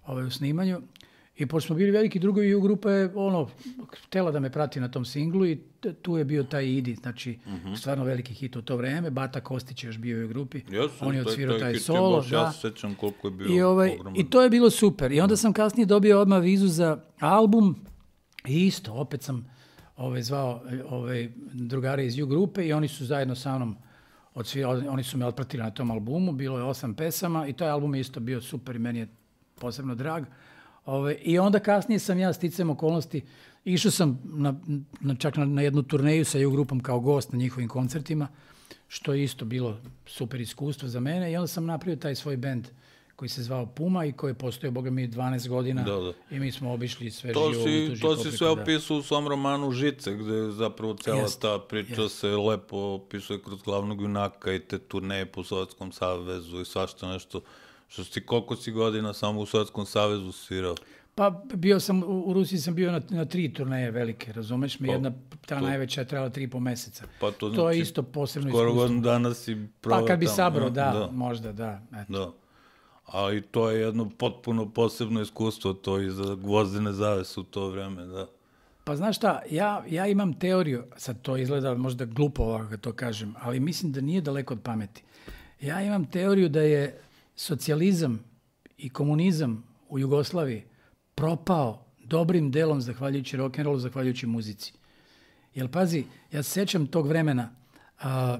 ovaj, u snimanju. I pošto smo bili veliki drugovi, U grupa je ono, htjela da me prati na tom singlu i tu je bio taj Idi, znači uh-huh. stvarno veliki hit u to vreme. Bata Kostić je još bio u U grupi, Jesu, on je odsvirao taj, taj solo. Baš, da. Ja se sećam koliko je bio I, ovaj, i to je bilo super. I onda sam kasnije dobio odmah vizu za album i isto, opet sam ovaj, zvao ovaj, drugare iz U grupe i oni su zajedno sa mnom odsvirali, oni su me otpratili na tom albumu, bilo je osam pesama i taj album je isto bio super i meni je posebno drag. Ove, I onda kasnije sam ja sticajem okolnosti, išao sam na, na, čak na, na jednu turneju sa U grupom kao gost na njihovim koncertima, što je isto bilo super iskustvo za mene i onda sam napravio taj svoj bend koji se zvao Puma i koji je postojao, boga mi, dvanaest godina da, da. i mi smo obišli sve to živo. Si, to si sve opisao u svom romanu Žice, gde zapravo cela jest, ta priča jest. se lepo opisuje kroz glavnog junaka i te turneje po Sovjetskom savezu i svašta nešto. Što si, koliko si godina samo u Sovjetskom savezu svirao? Pa bio sam, u Rusiji sam bio na, na tri turneje velike, razumeš mi? Pa, Jedna, ta to, najveća je trajala tri i po meseca. Pa to, znači, to je isto posebno iskustvo. Skoro godinu dana si provao. Pa kad bi sabrao, da, da, možda, da. Eto. Da. A i to je jedno potpuno posebno iskustvo, to i za Gvozdene zavese u to vreme, da. Pa znaš šta, ja, ja imam teoriju, sad to izgleda možda glupo ovako kad to kažem, ali mislim da nije daleko od pameti. Ja imam teoriju da je socijalizam i komunizam u Jugoslaviji propao dobrim delom zahvaljujući rock'n'rollu, zahvaljujući muzici. Jer pazi, ja se sećam tog vremena, a,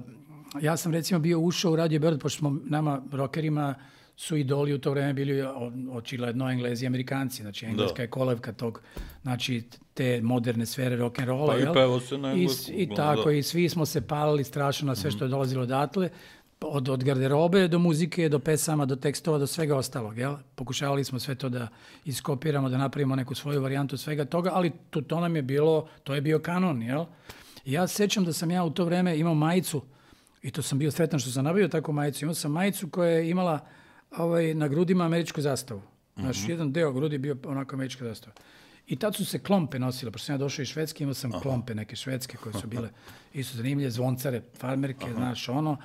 ja sam recimo bio ušao u Radio Beograd, pošto smo nama rockerima su idoli u to vreme bili očigledno Englezi i Amerikanci, znači engleska da. je kolevka tog, znači te moderne sfere rock'n'rolla. Pa jel? I pevo se na englesku. I, i tako, da. i svi smo se palili strašno na sve što je dolazilo odatle, Od, od garderobe do muzike, do pesama, do tekstova, do svega ostalog. Jel? Pokušavali smo sve to da iskopiramo, da napravimo neku svoju varijantu svega toga, ali to, to nam je bilo, to je bio kanon. Jel? I ja sećam da sam ja u to vreme imao majicu, i to sam bio sretan što sam nabavio takvu majicu, imao sam majicu koja je imala ovaj, na grudima američku zastavu. Znaš, mm-hmm. jedan deo grudi bio onako američka zastava. I tad su se klompe nosile, pošto sam ja došao iz Švedske, imao sam Aha. klompe neke švedske koje su bile isto zanimljive, zvoncare, farmerke, Aha. znaš, ono.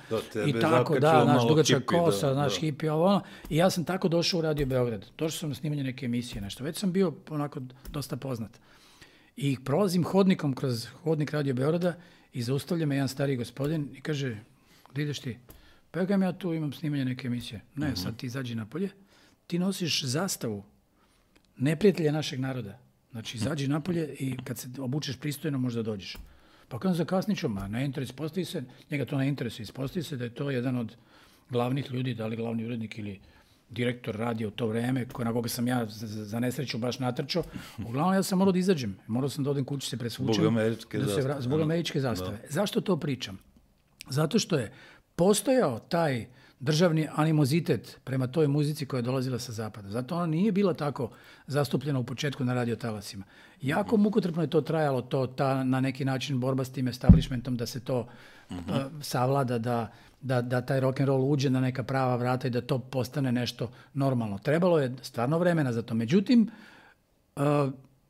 I tako, da, naš dugačak kosa, da, naš da. hipi, ovo, ono. I ja sam tako došao u Radio Beograd. Došao sam na snimanje neke emisije, nešto. Već sam bio onako dosta poznat. I prolazim hodnikom kroz hodnik Radio Beograda i zaustavlja me jedan stari gospodin i kaže, gdje ideš ti? Pa ja, ja tu imam snimanje neke emisije. Ne, uh-huh. sad ti izađi napolje, ti nosiš zastavu neprijatelja našeg naroda. Znači, izađi napolje i kad se obučeš pristojno, možda dođeš. Pa kada zakasnit ću, ma ne interes, ispostavi se, njega to ne interesuje, ispostavi se da je to jedan od glavnih ljudi, da li glavni urednik ili direktor radija u to vreme, na koga sam ja za, za nesreću baš natrčao. Uglavnom, ja sam morao da izađem. Morao sam da odem kući se presvučem. Zbog američke da zastave. Zbog američke zastave. Da. Zašto to pričam? Zato što je postojao taj državni animozitet prema toj muzici koja je dolazila sa zapada. Zato ona nije bila tako zastupljena u početku na radiotalasima. Jako mukotrpno je to trajalo, to, ta na neki način borba s tim establishmentom da se to uh, savlada, da, da, da taj rock and roll uđe na neka prava vrata i da to postane nešto normalno. Trebalo je stvarno vremena za to. Međutim, uh,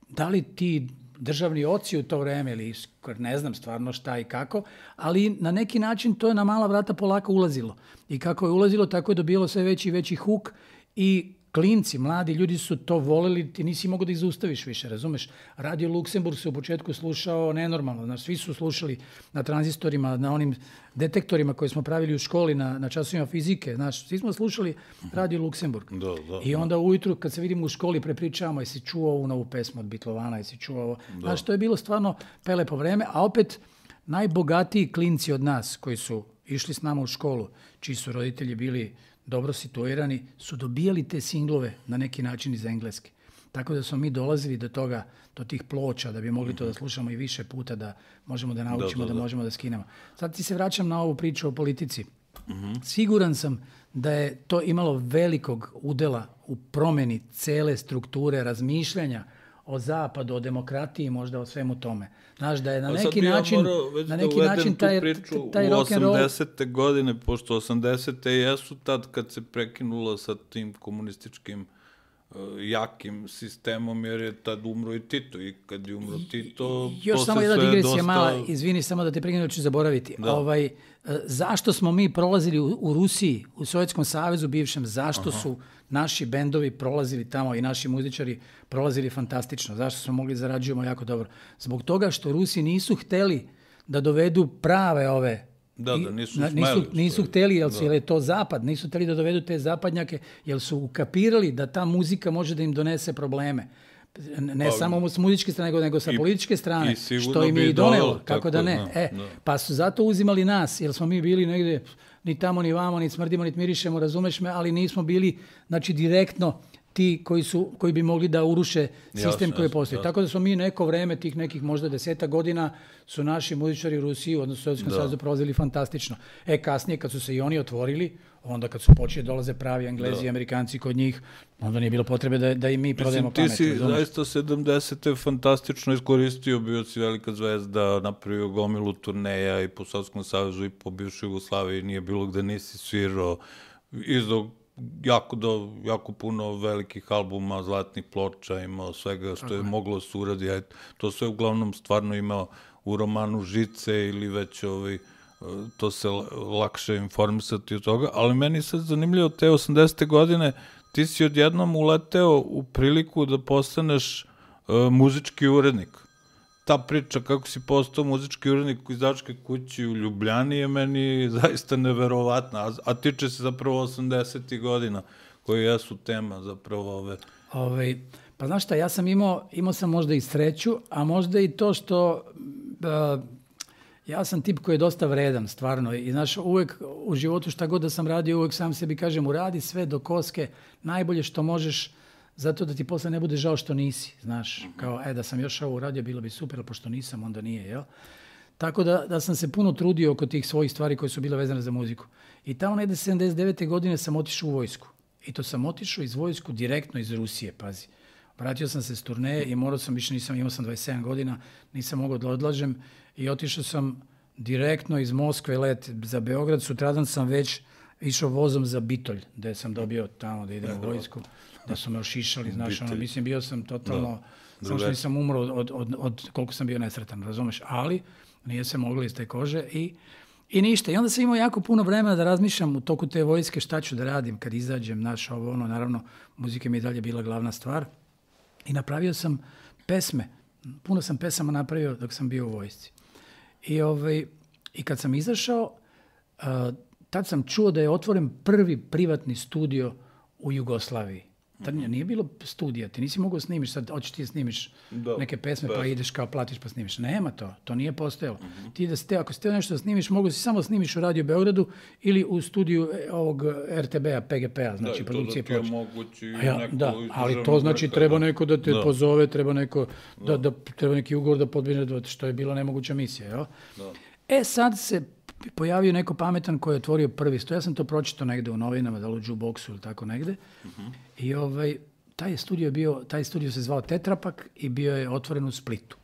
da li ti državni oci u to vreme ili ne znam stvarno šta i kako, ali na neki način to je na mala vrata polako ulazilo. I kako je ulazilo, tako je dobilo sve veći i veći huk i klinci, mladi ljudi su to voleli, ti nisi mogao da ih zaustaviš više, razumeš? Radio Luksemburg se u početku slušao nenormalno, znaš, svi su slušali na tranzistorima, na onim detektorima koje smo pravili u školi, na, na časovima fizike, znaš, svi smo slušali Radio Luksemburg. Da, da, I onda ujutru kad se vidimo u školi prepričavamo, jesi čuo ovu novu pesmu od Bitlovana, jesi čuo ovo, znaš, to je bilo stvarno prelepo vreme, a opet najbogatiji klinci od nas koji su išli s nama u školu, čiji su roditelji bili dobro situirani, su dobijali te singlove na neki način iz Engleske. Tako da smo mi dolazili do toga, do tih ploča, da bi mogli to da slušamo i više puta, da možemo da naučimo, da, da, da. da možemo da skinemo. Sad ti se vraćam na ovu priču o politici. Uh-huh. Siguran sam da je to imalo velikog udela u promeni cele strukture razmišljanja o zapadu, o demokratiji, možda o svemu tome. Znaš, da je na neki način, ja na neki način taj, taj rock and roll... U osamdesete godine, pošto osamdesete jesu tad kad se prekinulo sa tim komunističkim uh, jakim sistemom, jer je tad umro i Tito. I kad je umro Tito, još to samo se jedna sve digresija dosta... mala, izvini, samo da te prekinem, ću zaboraviti. Ovaj, zašto smo mi prolazili u, u Rusiji, u Sovjetskom savezu bivšem, zašto Aha. su naši bendovi prolazili tamo i naši muzičari prolazili fantastično. Zašto smo mogli zarađujemo jako dobro? Zbog toga što Rusi nisu hteli da dovedu prave ove... Da, da, nisu smeli. Nisu, nisu hteli, jer, jer je to zapad, nisu hteli da dovedu te zapadnjake, jer su ukapirali da ta muzika može da im donese probleme. Ne pa, samo s muzičke strane, nego, nego sa i, političke strane, što im je i donelo, kako da ne. Da, e, da. Pa su zato uzimali nas, jer smo mi bili negde ni tamo, ni vamo, ni smrdimo, ni mirišemo, razumeš me, ali nismo bili, znači, direktno ti koji, su, koji bi mogli da uruše sistem jasne, koji postoji. Tako da smo mi neko vreme, tih nekih možda deseta godina, su naši muzičari u Rusiji, odnosno u Sovjetskom savezu, prolazili fantastično. E, kasnije, kad su se i oni otvorili, onda kad su počeli dolaze pravi Englezi da. i Amerikanci kod njih, onda nije bilo potrebe da, da i mi prodajemo pamet. Mislim, ti si zaista sedamdesete fantastično iskoristio, bio si velika zvezda, napravio gomilu turneja i po Sovjetskom savezu i po bivšoj Jugoslaviji, nije bilo gde nisi svirao, izdao jako, do, jako puno velikih albuma, zlatnih ploča, imao svega što je moglo se uradi. To sve uglavnom stvarno imao u romanu Žice ili već ovaj, to se lakše informisati od toga, ali meni sad zanimljivo, te osamdesete godine ti si odjednom uleteo u priliku da postaneš uh, muzički urednik. Ta priča kako si postao muzički urednik u izdavačkoj kući u Ljubljani je meni zaista neverovatna, a, a tiče se zapravo osamdesetih godina, koji jesu tema zapravo ove... Ove, pa znaš šta, ja sam imao, imao sam možda i sreću, a možda i to što... Uh, ja sam tip koji je dosta vredan, stvarno. I znaš, uvek u životu šta god da sam radio, uvek sam sebi kažem, uradi sve do koske, najbolje što možeš, zato da ti posle ne bude žao što nisi, znaš. Kao, e, da sam još ovo uradio, bilo bi super, ali pošto nisam, onda nije, jel? Tako da, da sam se puno trudio oko tih svojih stvari koje su bile vezane za muziku. I tamo negde sedamdeset devete godine sam otišao u vojsku. I to sam otišao iz vojsku direktno iz Rusije, pazi. Vratio sam se s turneje i morao sam, više nisam, imao sam dvadeset sedam godina, nisam mogao da odlažem i otišao sam direktno iz Moskve let za Beograd. Sutradan sam već išao vozom za Bitolj, gde sam dobio tamo da idem u vojsku, da su me ošišali, znaš, ono, mislim, bio sam totalno, da. samo što nisam umro od, od, od koliko sam bio nesretan, razumeš, ali nije se moglo iz te kože i, i ništa. I onda sam imao jako puno vremena da razmišljam u toku te vojske šta ću da radim kad izađem, znaš, ovo, ono, naravno, muzika mi je dalje bila glavna stvar. I napravio sam pesme. Puno sam pesama napravio dok sam bio u vojsci. I, ovaj, i kad sam izašao, uh, tad sam čuo da je otvoren prvi privatni studio u Jugoslaviji. Tad nije bilo studija, ti nisi mogao snimiš, sad hoćeš ti snimiš da, neke pesme bez. Pa ideš kao platiš pa snimiš. Nema to, to nije postojalo. Mm-hmm. Ti da ste, ako ste nešto da snimiš, mogu si samo snimiš u Radio Beogradu ili u studiju ovog er te be a, pe ge pe a, znači da, produkcije ploče. Da, mogući ja, neko da, ali to znači treba neko da te da. pozove, treba neko da, da, da treba neki ugovor da podbine, što je bila nemoguća misija, jel? Da. E sad se pojavio neko pametan koji je otvorio prvi studio. Ja sam to pročitao negde u novinama, da li u jukeboxu ili tako negde. Uh-huh. I ovaj, taj studio bio, taj studio se zvao Tetrapak i bio je otvoren u Splitu.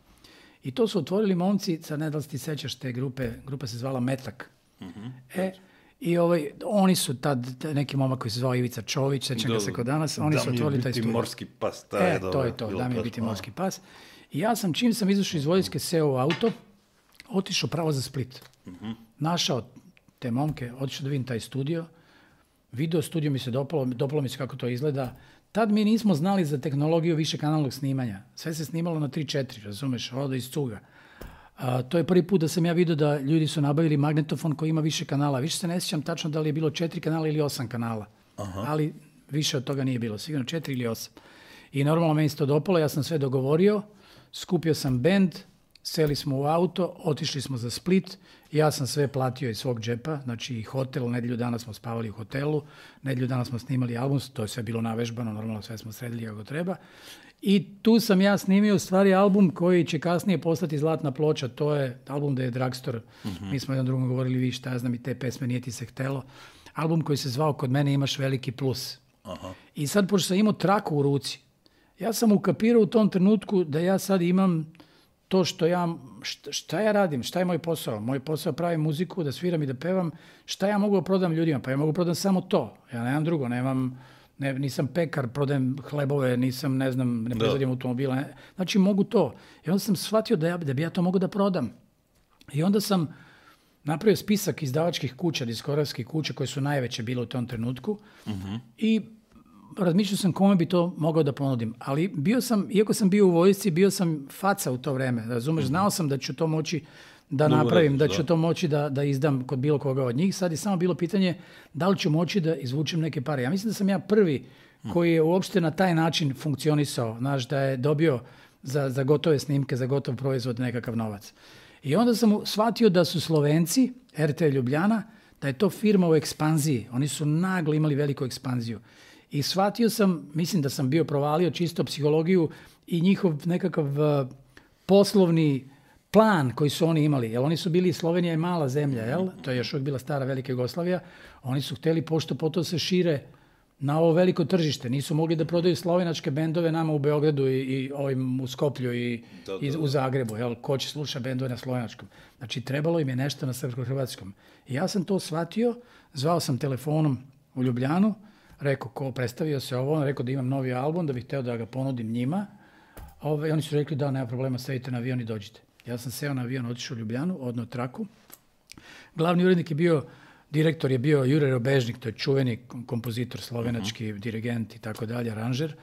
I to su otvorili momci, sad ne da li ti sećaš te grupe, grupa se zvala Metak. Uh-huh. E, i ovaj, oni su tad, neki momak koji se zvao Ivica Čović, sećam ga se kod danas, oni su otvorili taj studio. Da mi je biti morski pas. Ta e, je to je to, da mi je biti morski pas. I ja sam, čim sam izašao iz Voljske, seo u auto, otišao pravo za Split. Uh-huh. Našao te momke, otišao da vidim taj studio, video studio mi se dopalo, dopalo mi se kako to izgleda. Tad mi nismo znali za tehnologiju višekanalnog snimanja. Sve se snimalo na tri četiri, razumeš, ovdje iz cuga. A, to je prvi put da sam ja vidio da ljudi su nabavili magnetofon koji ima više kanala. Više se ne sjećam tačno da li je bilo četiri kanala ili osam kanala. Aha. Ali više od toga nije bilo, sigurno četiri ili osam. I normalno meni se to dopalo, ja sam sve dogovorio, skupio sam bend, seli smo u auto, otišli smo za Split, ja sam sve platio iz svog džepa, znači i hotel, nedjelju dana smo spavali u hotelu, nedjelju dana smo snimali album, to je sve bilo navežbano, normalno sve smo sredili kako treba. I tu sam ja snimio u stvari album koji će kasnije postati zlatna ploča, to je album da je Drugstore, uh-huh. Mi smo jedan drugom govorili, vi šta ja znam i te pesme, nije ti se htelo. Album koji se zvao Kod mene imaš veliki plus. Uh-huh. I sad, pošto sam imao traku u ruci, ja sam ukapirao u tom trenutku da ja sad imam to što ja, šta, šta ja radim, šta je moj posao? Moj posao je pravim muziku, da sviram i da pevam. Šta ja mogu da prodam ljudima? Pa ja mogu prodam samo to. Ja nemam drugo, nemam, ne, nisam pekar, prodajem hlebove, nisam, ne znam, ne proizvodim automobila. Ne. Znači mogu to. I onda sam shvatio da, ja, da bi ja to mogu da prodam. I onda sam napravio spisak izdavačkih kuća, diskografskih kuća koje su najveće bile u tom trenutku. Uh-huh. I razmišljao sam kome bi to mogao da ponudim, ali bio sam, iako sam bio u vojsci, bio sam faca u to vreme, razumeš, znao sam da ću to moći da Dobre, napravim, da, da ću to moći da, da izdam kod bilo koga od njih. Sad je samo bilo pitanje da li ću moći da izvučem neke pare. Ja mislim da sam ja prvi koji je uopšte na taj način funkcionisao, znaš, da je dobio za, za gotove snimke, za gotov proizvod nekakav novac. I onda sam shvatio da su Slovenci, R T Ljubljana, da je to firma u ekspanziji. Oni su naglo imali veliku ekspanziju. I shvatio sam, mislim da sam bio provalio čisto psihologiju i njihov nekakav uh, poslovni plan koji su oni imali. Jer oni su bili, Slovenija je mala zemlja, jel? To je još uvijek bila stara velika Jugoslavija. Oni su htjeli pošto potom se šire na ovo veliko tržište. Nisu mogli da prodaju slovenačke bendove nama u Beogradu i, i ovim u Skoplju i, da, da, i u Zagrebu. Jel? Ko će sluša bendove na slovenačkom? Znači trebalo im je nešto na srpsko-hrvatskom. I ja sam to shvatio, zvao sam telefonom u Ljubljanu, rekao ko predstavio se ovo, on rekao da imam novi album, da bih hteo da ga ponudim njima. Ove, oni su rekli da nema problema, sedite na avion i dođite. Ja sam seo na avion, otišao u Ljubljanu, odno traku. Glavni urednik je bio, direktor je bio Jure Robežnik, to je čuveni kompozitor, slovenački uh-huh. dirigent i tako dalje, aranžer.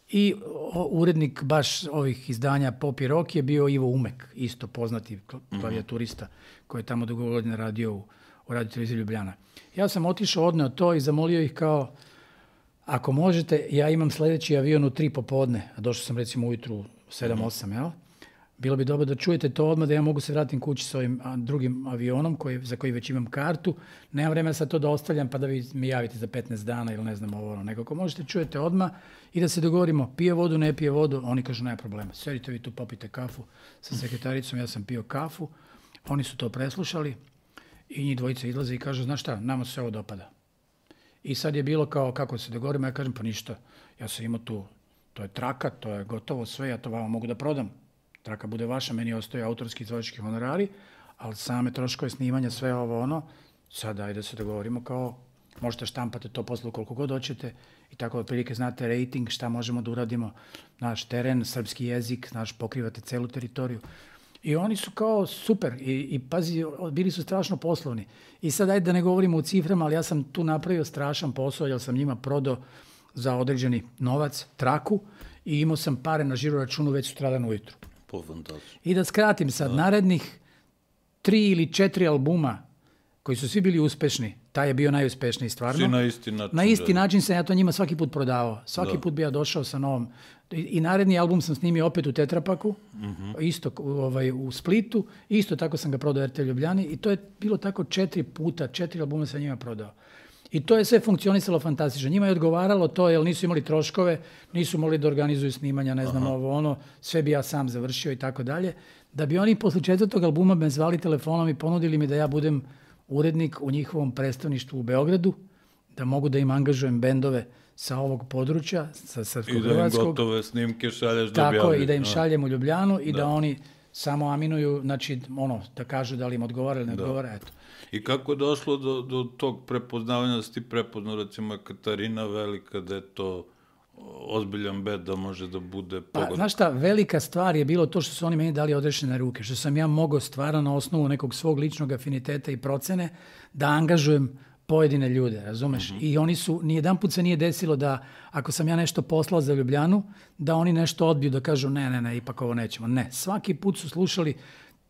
I o, urednik baš ovih izdanja Pop i Rock je bio Ivo Umek, isto poznati klavijaturista koji je tamo dugo godina radio u, u Radio televiziji Ljubljana. Ja sam otišao, odneo to i zamolio ih kao, ako možete, ja imam sljedeći avion u tri popodne, a došao sam recimo ujutru u sedam osam, jel? Bilo bi dobro da čujete to odmah, da ja mogu se vratim kući s ovim drugim avionom koji, za koji već imam kartu. Nemam vremena sad to da ostavljam pa da vi mi javite za petnaest dana ili ne znam ovo. Nego ako možete čujete odmah i da se dogovorimo pije vodu, ne pije vodu, oni kažu nema problema. Sedite vi tu, popite kafu sa sekretaricom, ja sam pio kafu. Oni su to preslušali i njih dvojica izlaze i kažu, znaš šta, nama se ovo dopada. I sad je bilo kao kako se dogovorimo, ja kažem pa ništa, ja sam imao tu, to je traka, to je gotovo sve, ja to vama mogu da prodam. Traka bude vaša, meni ostaje autorski izvođački honorari, ali same troškove snimanja, sve ovo ono, sad ajde da se dogovorimo kao, možete štampati to posle koliko god hoćete i tako otprilike znate rating, šta možemo da uradimo, naš teren, srpski jezik, naš pokrivate celu teritoriju. I oni su kao super i, i pazi, bili su strašno poslovni. I sad ajde da ne govorimo u ciframa, ali ja sam tu napravio strašan posao, jer sam njima prodao za određeni novac, traku i imao sam pare na žiro računu već sutradan ujutru. I da skratim sad, da. Narednih tri ili četiri albuma koji su svi bili uspešni, taj je bio najuspešniji stvarno. Svi na isti način. Na isti da. način sam ja to njima svaki put prodavao. Svaki da. put bi ja došao sa novom. I, i naredni album sam snimio opet u Tetrapaku, uh-huh. isto ovaj, u Splitu, isto tako sam ga prodao R T Ljubljani i to je bilo tako četiri puta, četiri albuma sam njima prodao. I to je sve funkcionisalo fantastično. Njima je odgovaralo to, jer nisu imali troškove, nisu mogli da organizuju snimanja, ne znam, Aha. ovo ono, sve bi ja sam završio i tako dalje. Da bi oni posle četvrtog albuma me zvali telefonom i ponudili mi da ja budem urednik u njihovom predstavništvu u Beogradu, da mogu da im angažujem bendove sa ovog područja, sa srpskog hrvatskog. I da im gotove snimke šalješ da Tako, objavljaju. i da im šaljem u Ljubljanu i da, da oni samo aminuju, znači, ono, da kažu da li im odgovara ili ne da. odgovara, eto. I kako je došlo do, do tog prepoznavanja, da si ti prepoznao, recimo, Katarina Velika, da je to ozbiljan bed da može da bude pogodan? Pa, znaš šta, velika stvar je bilo to što su oni meni dali odrešene ruke, što sam ja mogao stvarno na osnovu nekog svog ličnog afiniteta i procene da angažujem pojedine ljude, razumeš? Uh-huh. I oni su, nijedan put se nije desilo da ako sam ja nešto poslao za Ljubljanu, da oni nešto odbiju, da kažu ne, ne, ne, ipak ovo nećemo. Ne, svaki put su slušali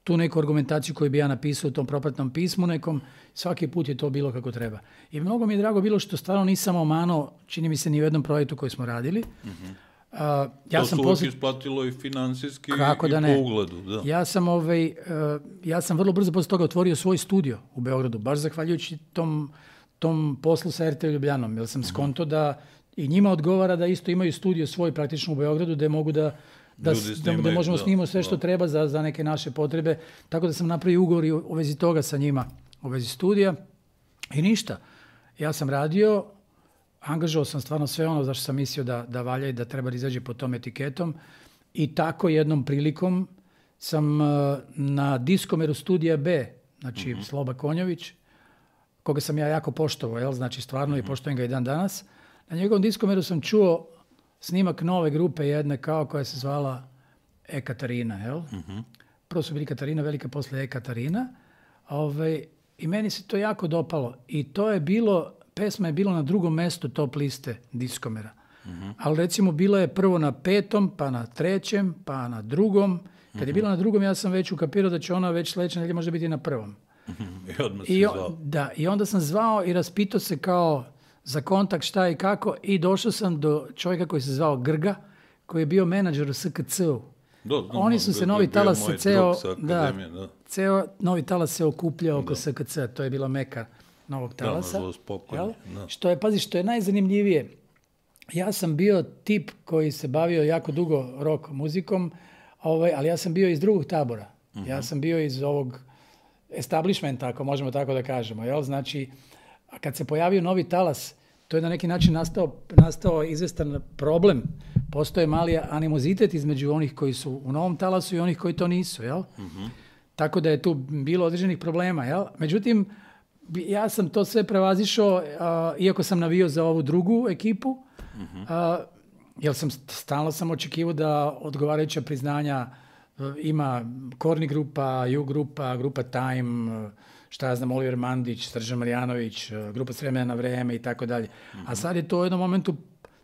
tu neku argumentaciju koju bi ja napisao u tom propratnom pismu nekom, svaki put je to bilo kako treba. I mnogo mi je drago bilo što stvarno nisam omanuo, čini mi se, ni u jednom projektu koji smo radili. Uh-huh. Uh, ja to sam se posle... uvijek isplatilo i finansijski Kako i da po ne. ugledu. Da. Ja sam, ovaj, uh, ja sam vrlo brzo posle toga otvorio svoj studio u Beogradu, baš zahvaljujući tom, tom poslu sa er te Ljubljanom, jer sam uh-huh. skonto da i njima odgovara da isto imaju studio svoj praktično u Beogradu, da mogu da Da, da, da možemo snimati sve što da. treba za, za neke naše potrebe. Tako da sam napravio ugovor u, u vezi toga sa njima, u vezi studija. I ništa. Ja sam radio, angažovao sam stvarno sve ono zašto sam mislio da, da valja i da treba da izađe pod tom etiketom. I tako jednom prilikom sam uh, na diskomeru studija B, znači uh-huh. Sloba Konjović, koga sam ja jako poštovao, jel? Znači stvarno uh-huh. i poštovam ga i dan danas. Na njegovom diskomeru sam čuo snimak nove grupe jedne kao koja se zvala E Katarina, jel? Uh-huh. Prvo su bili Katarina Velika, posle E Katarina. Ove, I meni se to jako dopalo. I to je bilo, pesma je bila na drugom mestu top liste diskomera. Uh-huh. Ali recimo bilo je prvo na petom, pa na trećem, pa na drugom. Kad uh-huh. je bila na drugom, ja sam već ukapirao da će ona već sledeće nedelje možda biti na prvom. Uh-huh. I odmah si I, zvao. Da, i onda sam zvao i raspitao se kao za kontakt šta i kako i došao sam do čovjeka koji se zvao Grga, koji je bio menadžer u S K C-u. Do, do, Oni su se, novi talas se ceo, da, da. ceo novi talas se okupljao oko S K C-a, to je bila meka novog talasa. Da, spokojno, da. Što je, pazi, što je najzanimljivije, ja sam bio tip koji se bavio jako dugo rock muzikom, ovaj, ali ja sam bio iz drugog tabora. Uh-huh. Ja sam bio iz ovog establishmenta, ako možemo tako da kažemo, jel? Znači, a kad se pojavio novi talas, to je na neki način nastao, nastao izvestan problem. Postoje mali animozitet između onih koji su u novom talasu i onih koji to nisu, jel? Uh-huh. Tako da je tu bilo određenih problema, jel? Međutim, ja sam to sve prevazišao, uh, iako sam navio za ovu drugu ekipu, uh-huh. uh, jer sam stalno sam očekivao da odgovarajuća priznanja uh, ima Korni grupa, Ju grupa, grupa Time, uh, šta ja znam, Oliver Mandić, Srđan Marjanović, grupa S vremena na vreme i tako dalje. A sad je to u jednom momentu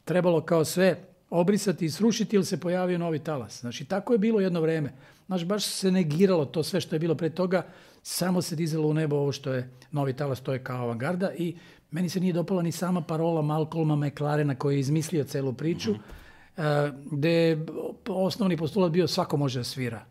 trebalo kao sve obrisati i srušiti ili se pojavio novi talas. Znači, tako je bilo jedno vreme. Znači, baš se negiralo to sve što je bilo pre toga, samo se dizalo u nebo ovo što je novi talas, to je kao avangarda i meni se nije dopala ni sama parola Malcolma McLarena koji je izmislio celu priču, uh-huh. gde je osnovni postulat bio svako može da svira.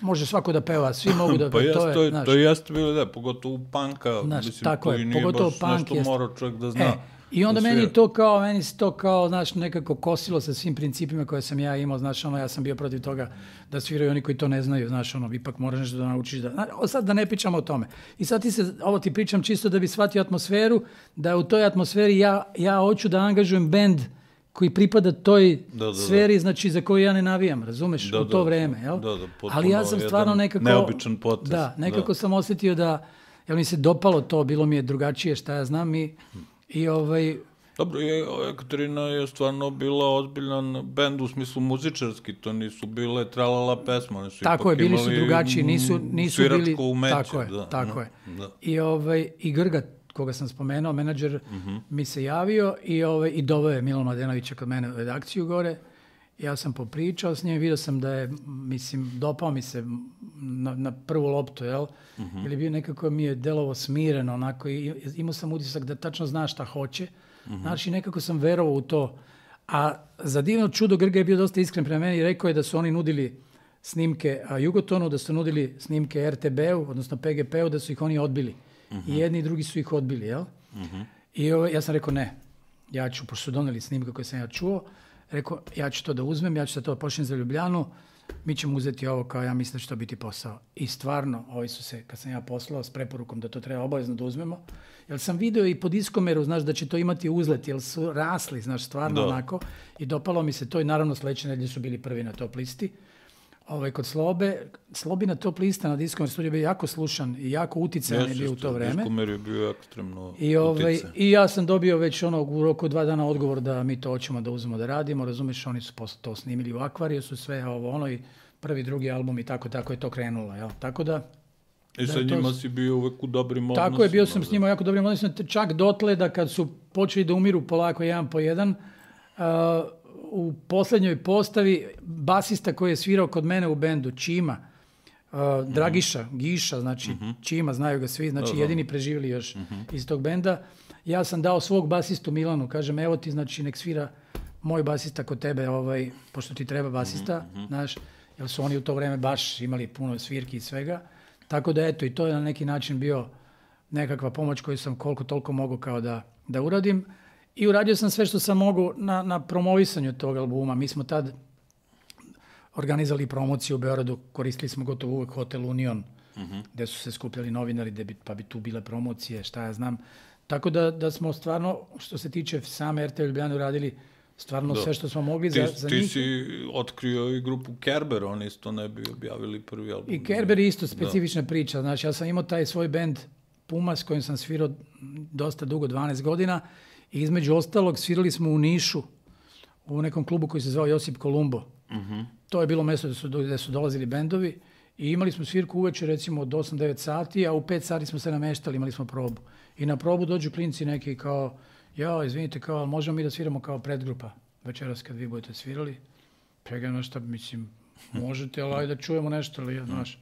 Može svako da peva, svi mogu da... Pa jes, to je, to je, znaš, to jeste bilo, da, pogotovo u panka, znaš, mislim, tako koji je, nije pogotovo baš punk nešto jest... mora čovjek da zna. E, I onda da meni to kao, meni se to kao, znaš, nekako kosilo sa svim principima koje sam ja imao, znaš, ono, ja sam bio protiv toga da sviraju oni koji to ne znaju, znaš, ono, ipak moraš nešto da naučiš da... Znaš, sad da ne pričamo o tome. I sad ti se, ovo ti pričam čisto da bi shvatio atmosferu, da u toj atmosferi ja, ja hoću da angažujem bend koji pripada toj da, da, da. sferi, znači za koju ja ne navijam, razumeš, da, u to da, vreme, jel? Da, da, ali ja sam stvarno nekako... Neobičan potez. Da, nekako da. sam osjetio da, jel mi se dopalo to, bilo mi je drugačije, šta ja znam i, i ovaj... Dobro, Ekaterina je stvarno bila ozbiljan bend u smislu muzičarski, to nisu bile tralala pesma, oni su tako ipak je, bili imali su drugačiji, nisu, nisu bili... umeće. Tako je, da, tako da, je. Da. I, ovaj, i Grga, koga sam spomenuo, menadžer, uh-huh. mi se javio i, ovaj, i doveo je Milan Mladenovića kod mene u redakciju gore. Ja sam popričao s njim, vidio sam da je, mislim, dopao mi se na, na prvu loptu, jel? Uh-huh. Ili bio nekako mi je delovo smireno, onako, i imao sam utisak da tačno zna šta hoće. Uh-huh. Znači, nekako sam verovao u to. A za divno čudo Grga je bio dosta iskren prema meni i rekao je da su oni nudili snimke Jugotonu, da su nudili snimke er te be-u, odnosno pe ge pe-u, da su ih oni odbili. Uh-huh. I jedni i drugi su ih odbili, jel? Uh-huh. I ovo, ja sam rekao ne, ja ću, pošto su doneli snimke koje sam ja čuo, rekao ja ću to da uzmem, ja ću da to počnem za Ljubljanu, mi ćemo uzeti ovo kao ja mislim da će to biti posao. I stvarno, ovi su se, kad sam ja poslao s preporukom da to treba obavezno da uzmemo, jer sam video i po diskomeru, znaš, da će to imati uzlet, jer su rasli, znaš, stvarno da. Onako. I dopalo mi se to i naravno sledeće nedelje su bili prvi na top listi. Ovaj, kod Slobe, Slobina top lista na Diskomer studiju bio jako slušan i jako uticajan je bio u to vreme. Diskomer je bio ekstremno I, ovaj, I ja sam dobio već ono u roku dva dana odgovor da mi to hoćemo da uzmemo da radimo, razumeš, oni su posle to snimili u Akvariju, su sve ovo ono i prvi, drugi album i tako, tako je to krenulo, jel? Tako da... I sa njima to... si bio uvek u dobrim odnosima. Tako je, bio sam s njima jako dobrim odnosima, čak dotle da kad su počeli da umiru polako jedan po jedan, uh, u poslednjoj postavi basista koji je svirao kod mene u bendu, Čima, uh, Dragiša, mm-hmm. Giša, znači mm-hmm. Čima, znaju ga svi, znači jedini preživjeli još mm-hmm. iz tog benda. Ja sam dao svog basistu Milanu, kažem, evo ti, znači, nek svira moj basista kod tebe, ovaj, pošto ti treba basista, mm-hmm. znaš, jer su oni u to vreme baš imali puno svirki i svega. Tako da, eto, i to je na neki način bio nekakva pomoć koju sam koliko toliko mogao kao da, da uradim. I uradio sam sve što sam mogao na, na promovisanju tog albuma. Mi smo tad organizali promociju u Beogradu, koristili smo gotovo uvek Hotel Union, uh-huh. gde su se skupljali novinari, gde bi, pa bi tu bile promocije, šta ja znam. Tako da, da smo stvarno, što se tiče same er te ve Ljubljane, uradili stvarno da. Sve što smo mogli ti, za, za ti njih. Ti si otkrio i grupu Kerber, oni isto ne bi objavili prvi album. I Kerber je isto specifična da. Priča. Znači, ja sam imao taj svoj bend Puma, s kojim sam svirao dosta dugo, dvanaest godina, i između ostalog svirali smo u Nišu, u nekom klubu koji se zvao Josip Kolumbo. Uh-huh. To je bilo mesto gde su, gde su dolazili bendovi i imali smo svirku uveče recimo od osam devet sati, a u pet sati smo se nameštali, imali smo probu. I na probu dođu klinci neki kao, ja, izvinite, kao, možemo mi da sviramo kao predgrupa večeras kad vi budete svirali? Pregledam nešto, mislim, možete, ali ajde da čujemo nešto, ali, znaš,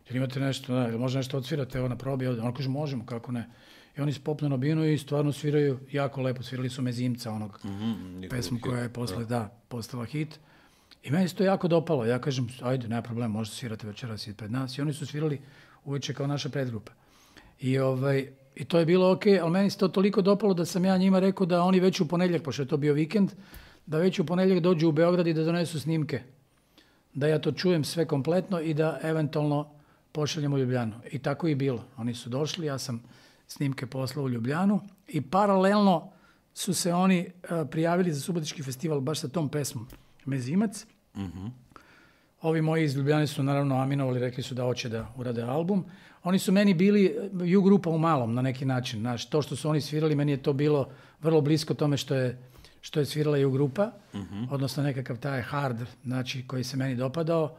jer imate nešto, da, ili može nešto odsvirate, evo na probi, ono kaže, možemo, kako ne. I oni se popnu na binu i stvarno sviraju jako lepo, svirali su Mezimca, onog mm-hmm, pesmu koja je posle, da. da, postala hit. I meni se to jako dopalo, ja kažem, ajde, nema problema, možete svirate večeras ispred nas. I oni su svirali uveče kao naša predgrupa. I, ovaj, i to je bilo okej, ali meni se to toliko dopalo da sam ja njima rekao da oni već u ponedjeljak, pošto je to bio vikend, da već u ponedjeljak dođu u Beograd i da donesu snimke. Da ja to čujem sve kompletno i da eventualno pošaljem u Ljubljanu. I tako i bilo. Oni su došli, ja sam snimke poslao u Ljubljanu i paralelno su se oni uh, prijavili za Subotički festival baš sa tom pesmom Mezimac. Uh-huh. Ovi moji iz Ljubljane su naravno aminovali, rekli su da hoće da urade album. Oni su meni bili ju grupa u malom na neki način. Znaš, to što su oni svirali, meni je to bilo vrlo blisko tome što je, što je svirala ju grupa, uh-huh. odnosno nekakav taj hard, znači, koji se meni dopadao.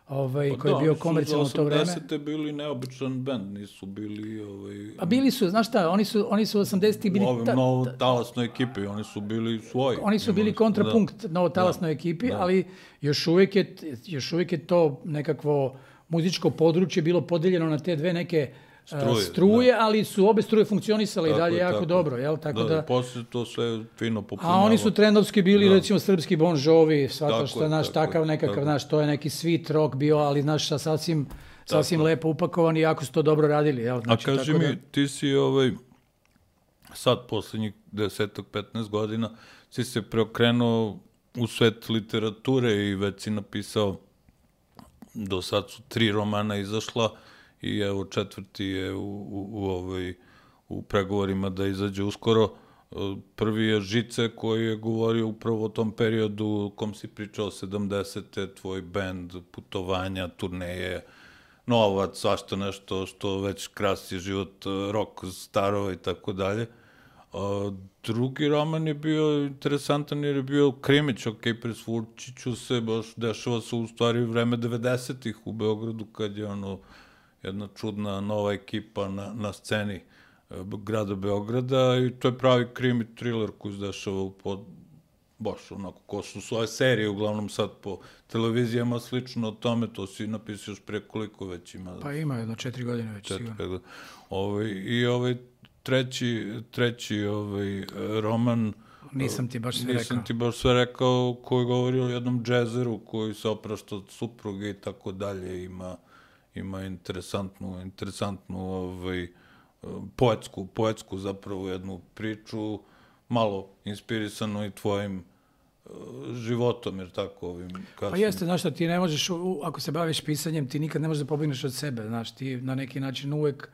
Ovaj, pa koji da, je bio komercijalno u to vreme. Oni su osamdesete bili neobičan bend, nisu bili... Ovaj, a bili su, znaš šta, oni su, oni su osamdesetih bili... U ovim ta, novotalasnoj ekipi, oni su bili svoji. Oni su bili kontrapunkt da, novotalasnoj da, ekipi, da. Ali još uvijek, je, još uvijek je to nekakvo muzičko područje bilo podeljeno na te dve neke struje, struje ali su obe struje funkcionisale tako i dalje je, jako tako. Dobro. Jel? Tako da, da, posle to sve fino popunjalo. A oni su trendovski bili, da. Recimo, srpski Bon Jovi, svata što je naš takav nekakav, tako. Naš, to je neki sweet rock bio, ali naš sasvim, sasvim lepo upakovan i jako su to dobro radili. Jel? Znači, a kaži mi, da... ti si ovaj, sad, poslednjih deset petnaest godina, si se preokrenuo u svet literature i već si napisao, do sad su tri romana izašla, i evo četvrti je u, u, u, ovoj, u pregovorima da izađe uskoro. Prvi je Žice koji je govorio upravo o tom periodu u kom si pričao sedamdesete, tvoj bend, putovanja, turneje, novac, svašta nešto što već krasi život, rock starova i tako dalje. Drugi roman je bio interesantan jer je bio Krimić, ok, presvučiću se, baš dešava se u stvari vreme devedesetih u Beogradu kad je ono jedna čudna nova ekipa na, na sceni grada Beograda i to je pravi krimi thriller koji se dešava pod, baš onako, ko su svoje serije, uglavnom sad po televizijama slično o tome, to si napisao još pre koliko već ima? Pa ima jedno četiri godine već četiri, sigurno. Ovaj, I ovaj treći, treći ovaj, roman, Nisam ti baš sve nisam rekao. Nisam ti baš sve rekao, koji govori o jednom džezeru koji se oprašta od supruge i tako dalje, ima ima interesantnu, interesantnu ovaj, poetsku, poetsku zapravo jednu priču, malo inspirisanu i tvojim životom, jer tako ovim kasnim. Pa jeste, znaš šta, ti ne možeš, ako se baviš pisanjem, ti nikad ne možeš da pobegneš od sebe, znaš, ti na neki način uvek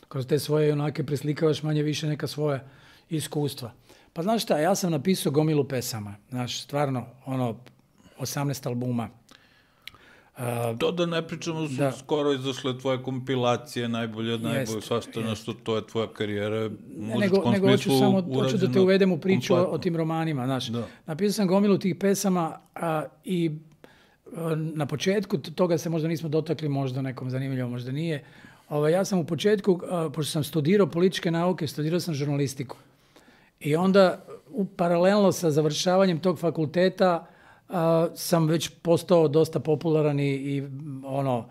kroz te svoje onake preslikavaš manje više neka svoja iskustva. Pa znaš šta, ja sam napisao gomilu pesama, znaš, stvarno, ono, osamnaest albuma. Uh, to da ne pričamo, su da. skoro izašle tvoje kompilacije, najbolje od najbolje, svašta nešto, to je tvoja karijera u muzičkom nego, nego hoću samo, hoću da te uvedem u priču o, o tim romanima, znaš. Da. Napisao sam gomilu tih pesama a, i a, na početku toga se možda nismo dotakli, možda nekom zanimljivo, možda nije. Ova, ja sam u početku, a, pošto sam studirao političke nauke, studirao sam žurnalistiku. I onda, u, paralelno sa završavanjem tog fakulteta, Uh, sam već postao dosta popularan i, i ono,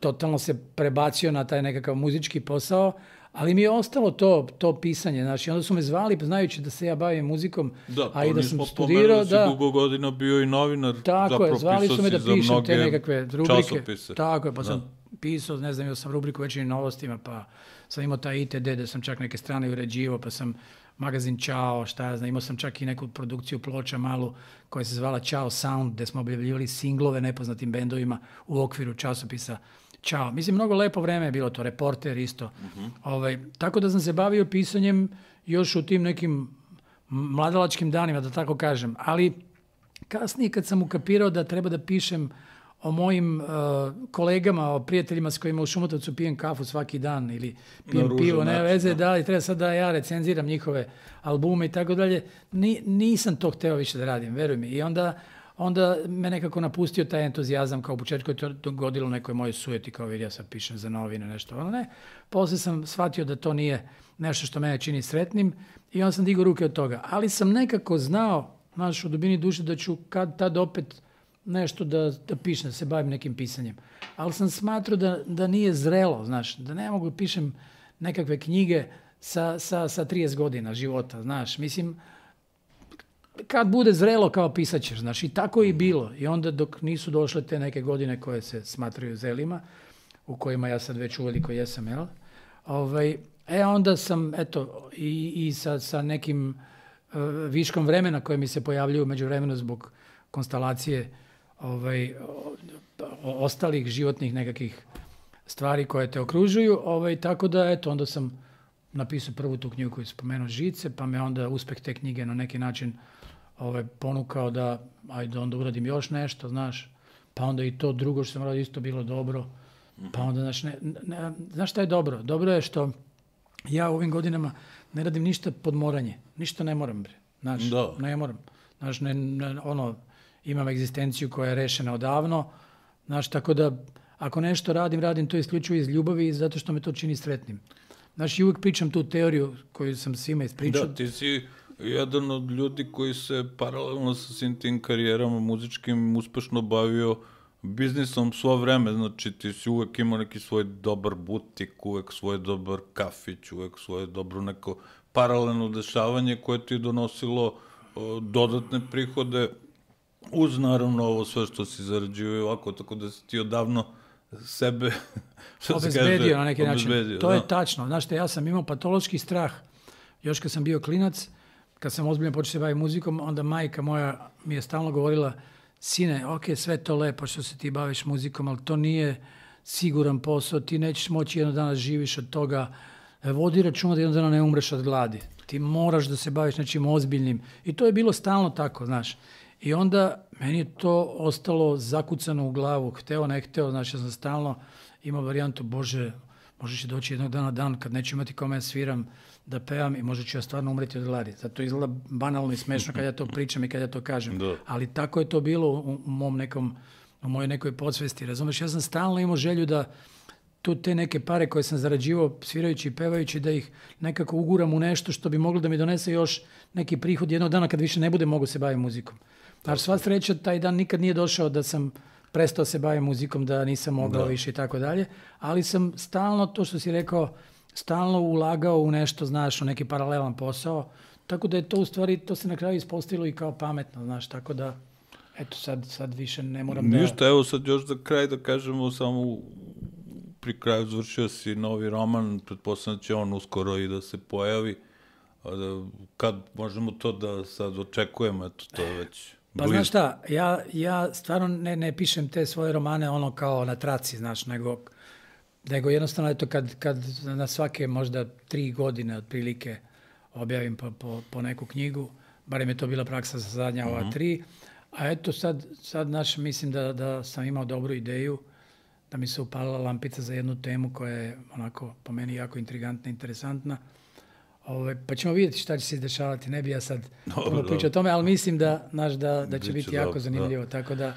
totalno se prebacio na taj nekakav muzički posao, ali mi je ostalo to, to pisanje, znači, onda su me zvali, znajući da se ja bavim muzikom, da, a i da sam studirao, da... Da, dugo godina bio i novinar, tako je, zvali su me da pišem te nekakve rubrike. Časopise. Tako je, pa da. sam pisao, ne znam, imao sam rubriku Večernjim novostima, pa sam imao taj I T D, da sam čak neke strane uređivao, pa sam magazin Ćao, šta ja znam, imao sam čak i neku produkciju ploča malu koja se zvala Ćao Sound, gde smo objavljivali singlove nepoznatim bendovima u okviru časopisa Ćao. Mislim, mnogo lepo vreme je bilo to, Reporter isto. Uh-huh. Ovaj, tako da sam se bavio pisanjem još u tim nekim mladalačkim danima, da tako kažem. Ali kasnije kad sam ukapirao da treba da pišem o mojim uh, kolegama, o prijateljima s kojima u Šumotovcu pijem kafu svaki dan ili pijem no, pivo, ne veze, da, i treba sad da ja recenziram njihove albume i tako dalje. Ni, nisam to hteo više da radim, veruj mi. I onda, onda me nekako napustio taj entuzijazam, kao u početku je to dogodilo nekoj mojoj sujeti, kao vidi ja sad pišem za novine, nešto. Ono ne, posle sam shvatio da to nije nešto što mene čini sretnim i onda sam digao ruke od toga. Ali sam nekako znao, znaš, u dubini duše da ću kad tad opet nešto da, da pišem, da se bavim nekim pisanjem. Ali sam smatrao da, da nije zrelo, znaš, da ne mogu pišem nekakve knjige sa, sa, sa trideset godina života, znaš. Mislim, kad bude zrelo kao pisat ćeš, znaš, i tako je i bilo. I onda dok nisu došle te neke godine koje se smatraju zelima, u kojima ja sad već uveliko jesam, jel? Ovaj, e, onda sam, eto, i, i sa, sa nekim uh, viškom vremena koje mi se pojavljuju među vremenu zbog konstalacije ovaj, ostalih životnih nekakvih stvari koje te okružuju, ovaj, tako da, eto, onda sam napisao prvu tu knjigu koju spomenuo Žice, pa me onda uspeh te knjige na neki način ovaj, ponukao da, ajde, onda uradim još nešto, znaš, pa onda i to drugo što sam radio isto bilo dobro, pa onda, znaš, ne, ne, znaš šta je dobro? Dobro je što ja u ovim godinama ne radim ništa pod moranje, ništa ne moram, bre, znaš, da. ne moram, znaš, ne, ne, ono, imam egzistenciju koja je rešena odavno, znaš, tako da ako nešto radim, radim to isključivo iz ljubavi i zato što me to čini sretnim. Znaš, i uvijek pričam tu teoriju koju sam svima ispričao. Da, ti si jedan od ljudi koji se paralelno sa svim tim karijerama muzičkim uspešno bavio biznisom svo vreme, znači ti si uvek imao neki svoj dobar butik, uvek svoj dobar kafić, uvek svoje dobro neko paralelno dešavanje koje ti je donosilo o, dodatne prihode, uz naravno ovo sve što si zarađivao ovako, tako da si ti odavno sebe obezbedio kaže, na neki način. To da. je tačno. Znaš te, ja sam imao patološki strah. Još kad sam bio klinac, kad sam ozbiljno počeo se baviti muzikom, onda majka moja mi je stalno govorila, sine, ok, sve to lepo što se ti baviš muzikom, ali to nije siguran posao, ti nećeš moći jednog dana živiš od toga, vodi računa da jednog dana ne umreš od gladi. Ti moraš da se baviš nečim ozbiljnim. I to je bilo stalno tako, znaš. I onda meni je to ostalo zakucano u glavu, hteo, ne hteo, znači ja sam stalno imao varijantu, Bože, možda će doći jednog dana dan kad neću imati kome ja sviram da pevam i možda ću ja stvarno umreti od gladi. Zato izgleda banalno i smešno kad ja to pričam i kad ja to kažem. Da. Ali tako je to bilo u, u mom nekom, u mojoj nekoj podsvesti, razumeš? Ja sam stalno imao želju da tu te neke pare koje sam zarađivao svirajući i pevajući, da ih nekako uguram u nešto što bi moglo da mi donese još neki prihod jednog dana kad više ne bude mogu se baviti muzikom. Znači, sva sreća, taj dan nikad nije došao da sam prestao se baviti muzikom, da nisam mogao da. više i tako dalje, ali sam stalno, to što si rekao, stalno ulagao u nešto, znaš, u neki paralelan posao, tako da je to u stvari, to se na kraju ispostavilo i kao pametno, znaš, tako da, eto, sad, sad više ne moram da... Ništa, evo sad još za kraj da kažemo, samo pri kraju završio si novi roman, pretpostavljam da će on uskoro i da se pojavi, Kad možemo to da sad očekujemo, eto, to je već Pa blizu. znaš šta, ja, ja stvarno ne, ne pišem te svoje romane ono kao na traci, znaš, nego, nego jednostavno eto kad, kad na svake možda tri godine otprilike objavim po, po, po neku knjigu, barem je to bila praksa za zadnja ova tri, a eto sad, sad naš, mislim da, da sam imao dobru ideju, da mi se upalila lampica za jednu temu koja je onako po meni jako intrigantna, interesantna. Ove, pa ćemo vidjeti šta će se dešavati, ne bi ja sad puno pričao o tome, ali mislim da, naš, da, da će biti jako dobro, zanimljivo, da. Tako da,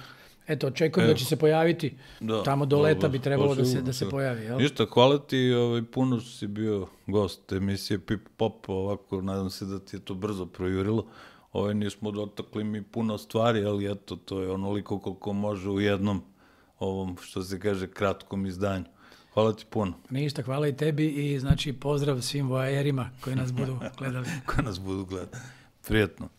eto, očekujem Evo. da će se pojaviti, da, tamo do leta bi trebalo da se, da se pojavi. Jel? Ništa, hvala ti, ovaj, puno si bio gost emisije Pip Pop, ovako, nadam se da ti je to brzo projurilo. Ovaj, nismo dotakli mi puno stvari, ali eto, to je onoliko koliko može u jednom ovom, što se kaže, kratkom izdanju. Hvala ti puno. Ništa, hvala i tebi i znači pozdrav svim voajerima koji nas budu gledali. koji nas budu gledali. Prijetno.